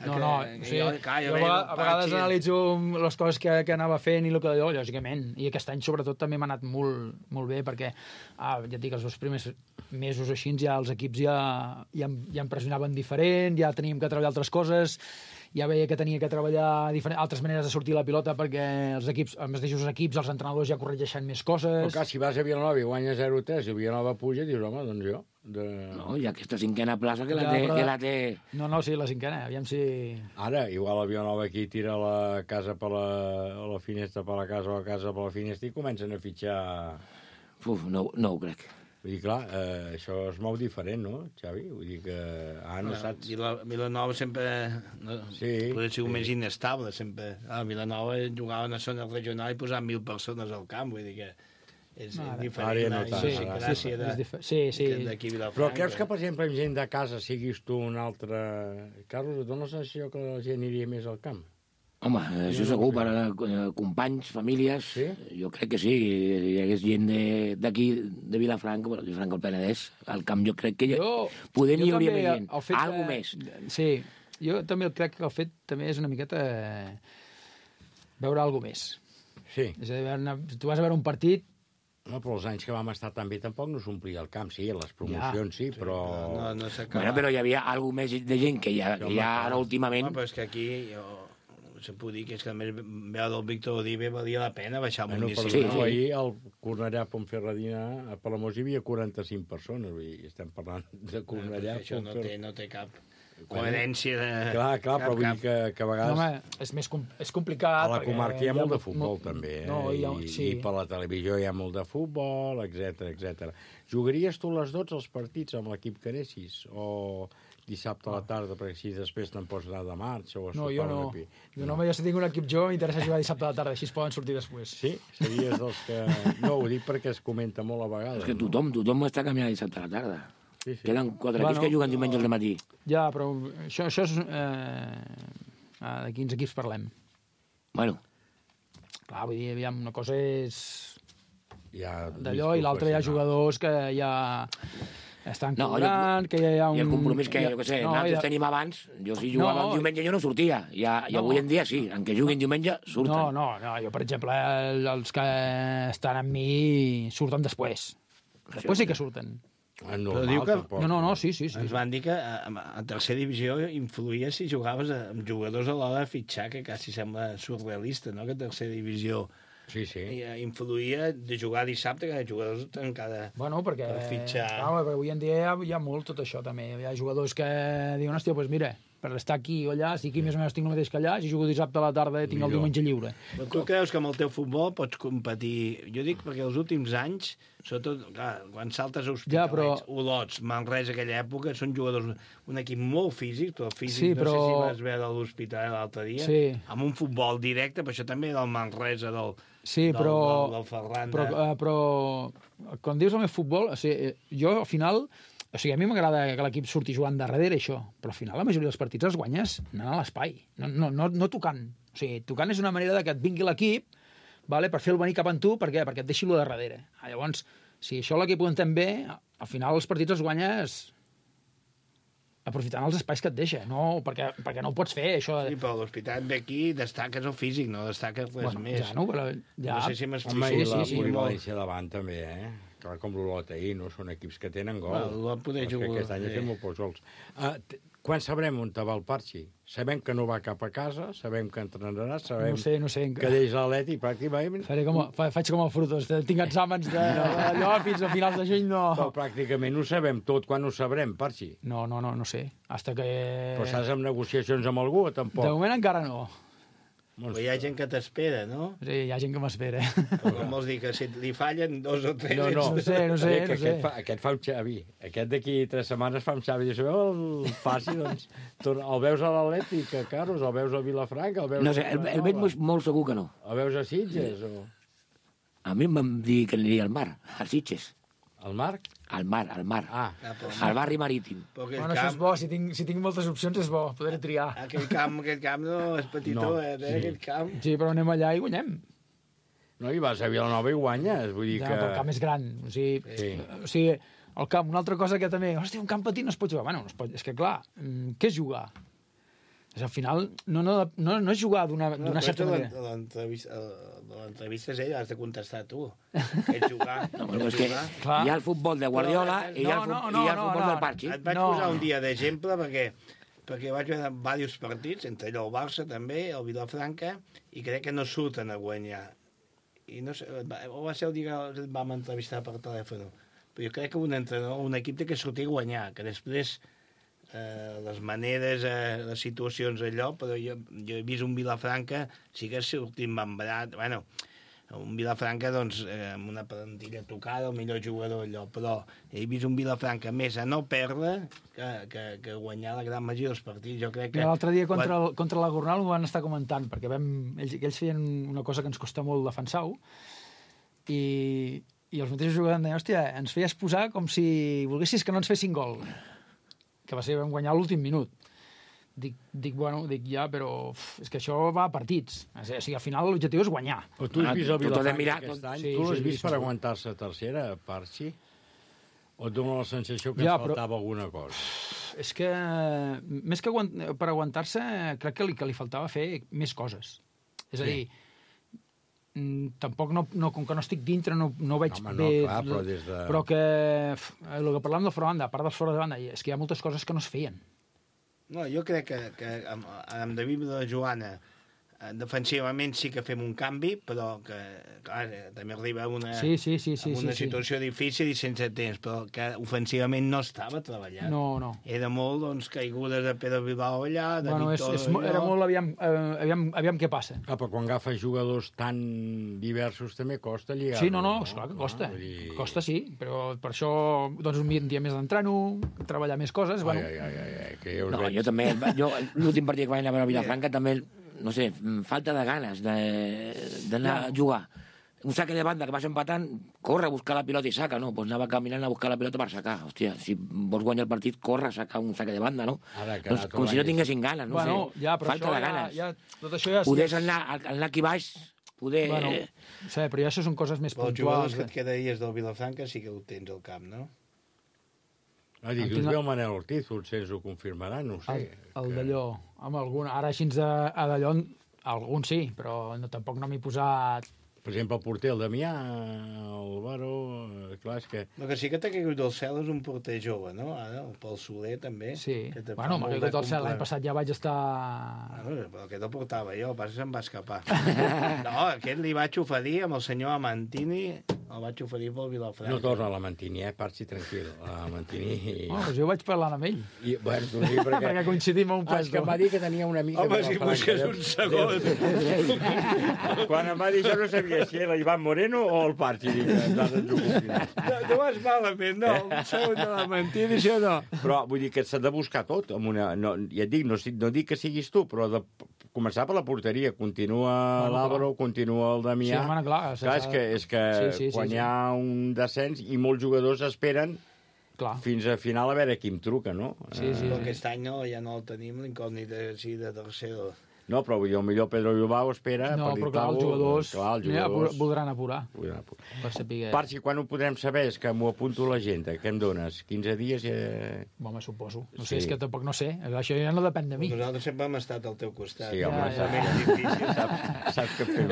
No, o sigui, jo a vegades analitzo les coses que anava fent i el que allò, lògicament. I aquest any, sobretot, també m'ha anat molt bé, perquè, ja et dic, els 2 primers mesos així, ja els equips ja em pressionaven diferent, ja teníem que treballar altres coses, ja veia que tenia que treballar altres maneres de sortir la pilota perquè els mateixos equips, els entrenadors ja corregeixen més coses. Però clar, si vas a Vilanova i guanyes 0-3 i Vilanova puja, dius, home, doncs jo... No, i aquesta 5a plaça que la té... No, sí, la 5a, aviam si... Ara, igual a Vilanova aquí tira la casa per la finestra per la casa o la casa per la finestra i comencen a fitxar... No ho crec. Vull dir, clar, això es mou diferent, no, Xavi? Vull dir que no saps... Vilanova sempre... Podria ser més inestable, sempre. Vilanova jugava a una zona regional i posaven 1.000 persones al camp, vull dir que és diferent. Sí. D'aquí a Vilafranca. Però creus que, per exemple, amb gent de casa siguis tu un altre... Carlos, et dona la sensació que la gent aniria més al camp? Home, això segur, per companys, famílies, jo crec que sí. Hi hagués gent d'aquí, de Vilafranca, Vilafranca al Penedès, al camp jo crec que poder n'hi hauria més gent. Algo més. Sí, jo també crec que el fet també és una miqueta veure alguna més. Sí. És a dir, tu vas a veure un partit... No, però els anys que vam estar tan bé tampoc no s'omplia el camp, sí, les promocions sí, però... Però hi havia alguna més de gent que ja ara últimament... Però és que aquí... se puc dir que és que a més veu del Víctor Odive valia la pena baixar al municipi. Ahir al Cornellà Pontferradina a Palamós hi havia 45 persones, vull dir, estem parlant de Cornellà. Això no té cap coherència de... Clar, però vull dir que a vegades... Home, és complicat... A la comarca hi ha molt de futbol, també, i per la televisió hi ha molt de futbol, etc. Jugaries tu les 12 als partits amb l'equip que anessis? O dissabte a la tarda, perquè així després te'n pots anar de marxa o a sopar jo no. Jo no, si tinc un equip jo, m'interessa jugar dissabte a la tarda, així es poden sortir després. Sí? Series dels que... No, ho dic perquè es comenta molt a vegades. És que tothom està canviant dissabte a la tarda. Sí. Queden 4 equips que juguen diumenge al matí. Ja, però això és... de quins equips parlem? Bueno. Clar, vull dir, aviam, una cosa és... d'allò, i l'altra hi ha jugadors que ja... estan cobrant, que hi ha un... I el compromís que, jo què sé, nosaltres tenim abans, jo si jugava el diumenge jo no sortia, i avui en dia sí, en què juguin diumenge surten. No, jo per exemple, els que estan amb mi surten després. Després sí que surten. Però diu que... No, sí. Ens van dir que a tercera divisió influïa si jugaves amb jugadors a l'hora de fitxar, que quasi sembla surrealista, no?, que a tercera divisió... Sí. Influïa de jugar dissabte, que jugadors encara per fitxar... Clar, però avui en dia hi ha molt tot això, també. Hi ha jugadors que diuen, hòstia, doncs mira, per estar aquí o allà, si aquí més o menys tinc el mateix que allà, si jugo dissabte a la tarda tinc el diumenge lliure. Però tu creus que amb el teu futbol pots competir? Jo dic perquè els últims anys, sobretot, clar, quan saltes a Hospitalets, Olots, Manresa, aquella època, són jugadors, un equip molt físic, però físic, no sé si vas veure l'Hospitalet l'altre dia, amb un futbol directe, però això també del Manresa, del Ferran. Però quan dius el meu futbol, jo al final... O sigui, a mi m'agrada que l'equip surti jugant de darrere, això, però al final la majoria dels partits els guanyes anant a l'espai, no tocant. O sigui, tocant és una manera de que et vingui l'equip per fer-lo venir cap a tu, perquè et deixi lo de darrere. Llavors, si això l'equip ho entén bé, al final els partits els guanyes aprofitant els espais que et deixa, no, perquè no ho pots fer, això... Sí, però l'Hospitalet ve aquí, destaques el físic, no destaques res més. No sé si m'explico. Home, i la polivalència davant també, Clar, com l'Olot ahir, no? Són equips que tenen gol. L'Olot poder jugar... Aquest any ha fet molt pocs gols. Quan sabrem on va el Parxi? Sabem que no va cap a casa, sabem que entrenarà, sabem que deix l'Atleti pràcticament... Faig com el Frutos, tinc exàmens d'allò fins a finals de juny, no... Però pràcticament ho sabem tot. Quan ho sabrem, Parxi? No sé. Hasta que... Però estàs en negociacions amb algú o tampoc? De moment encara no. Però hi ha gent que t'espera, no? Sí, hi ha gent que m'espera. Com vols dir, que si li fallen 2 o 3... No sé. Aquest fa un Xavi. Aquest d'aquí 3 setmanes fa un Xavi. Dius, el passi, doncs... El veus a l'Atlètic, a Carros, el veus a Vilafranca, el veus... No sé, el veig molt segur que no. El veus a Sitges, o...? A mi em van dir que aniria al mar, a Sitges. Al mar? Al mar. Al barri marítim. Això és bo, si tinc moltes opcions és bo, poder triar. Aquell camp no és petitó, aquell camp. Sí, però anem allà i guanyem. No, i vas a Vilanova i guanyes, vull dir que... Però el camp és gran, o sigui, el camp, una altra cosa que també... Hòstia, un camp petit no es pot jugar. Bueno, és que clar, què és jugar? Al final, no és jugar d'una certa manera. L'entrevista és ella, has de contestar tu. És jugar. No, però és que hi ha el futbol de Guardiola i hi ha el futbol del Parchi. Et vaig posar un dia d'exemple perquè vaig veure diversos partits, entre allò el Barça també, el Vilafranca, i crec que no surten a guanyar. I no sé, va ser el dia que vam entrevistar per telèfon. Però jo crec que un entrenador, un equip té que sortir a guanyar, que després les maneres, les situacions allò, però jo he vist un Vilafranca, sí que ha sortit membrat, bueno, un Vilafranca, doncs, amb una plantilla tocada, el millor jugador allò, però he vist un Vilafranca més a no perdre que guanyar la gran majoria dels partits. Jo crec que... L'altre dia contra la Gornal ho van estar comentant, perquè ells feien una cosa que ens costa molt defensar-ho, i els mateixos jugadors deien, hòstia, ens feies posar com si volguessis que no ens fessin gol, que va ser vam guanyar l'últim minut. Dic, ja, però és que això va a partits. O sigui, al final l'objectiu és guanyar. Però tu has vist el Vilafranca aquest any? Tu l'has vist per aguantar-se tercera, Parchi? O et dona la sensació que ens faltava alguna cosa? És que, més que per aguantar-se, crec que li faltava fer més coses. És a dir, tampoc com que no estic dintre no veig bé, però que el que parlàvem de fora de banda, a part dels fora de banda, és que hi ha moltes coses que no es feien. No, jo crec que amb David i la Joana defensivament sí que fem un canvi, però que, clar, també arriba a una situació difícil i sense temps, però que ofensivament no estava treballant. No. Era molt, doncs, caigudes de Pedro Bilbao allà, de Víctor allò... Era molt aviam què passa. Però quan agafes jugadors tan diversos també costa lligar. Sí, no, esclar que costa. Costa sí, però per això doncs un dia més d'entreno, treballar més coses... Jo també, l'últim partit que vaig anar a veure a Vilafranca també... no sé, falta de ganes d'anar a jugar. Un saque de banda que vas empatant, corre a buscar la pilota i saca, no? Pues anava caminant a buscar la pilota per sacar. Hòstia, si vols guanyar el partit, corre a sacar un saque de banda, no? Doncs, com si no tinguessin ganes, no sé. Falta de ganes. Tot això ja... Podés anar aquí baix, poder... Sí, però ja això són coses més puntuals. Els jugadors que et quedaries del Vilafranca sí que ho tens al camp, no? Dic, us veu Manel Ortiz, potser ens ho confirmarà, no ho sé. El d'allò, amb algun... Ara així a d'allò, algun sí, però tampoc no m'he posat... Per exemple, el porter, el Damià, el Baró... Clar, és que... El que sí que t'ha caigut del cel és un porter jove, no? Ara, el Pol Soler, també. Sí. Bueno, m'ha caigut del cel. L'any passat ja vaig estar... Però aquest el portava jo, el pas se'm va escapar. No, aquest li vaig oferir amb el senyor Amantini, el vaig oferir pel Vilafranca. No torna a l'Amantini, Parchi, tranquil. L'Amantini... Doncs jo vaig parlar amb ell. Bueno, tu dic perquè coincidim a un pas. És que em va dir que tenia una mica... Home, si busques un segon. Quan em va dir això no sabia si era l'Ivan Moreno o el Parchi. No vas malament, no. Un segon de l'Amantini, això no. Però vull dir que s'ha de buscar tot. Ja et dic, no dic que siguis tu, però de començar per la porteria. Continua l'Àlvaro, continua el Damià. Sí, clar. És que quan hi ha un descens i molts jugadors esperen fins a final a veure qui em truca, no? Sí. Aquest any ja no el tenim, l'incògnit de tercero. No, però vull dir, potser Pedro Bilbao espera... No, però clar, els jugadors voldran apurar. Per saber... Parchi, quan ho podrem saber? És que m'ho apunto a l'agenda. Què em dones? 15 dies? Home, suposo. No sé, és que tampoc no sé. Això ja no depèn de mi. Nosaltres sempre hem estat al teu costat. Sí, home, és difícil. Saps què fem.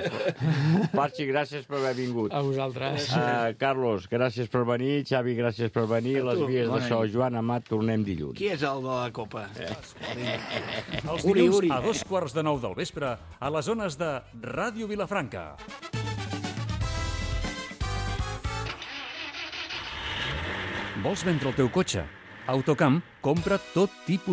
Parchi, gràcies per haver vingut. A vosaltres. Carlos, gràcies per venir. Xavi, gràcies per venir. Les vies d'això. Joan Amat, tornem dilluns. Qui és el de la Copa? Els dilluns a 2:15 del vespre a les zones de Ràdio Vilafranca. Vols vendre el teu cotxe? Autocamp compra tot tipus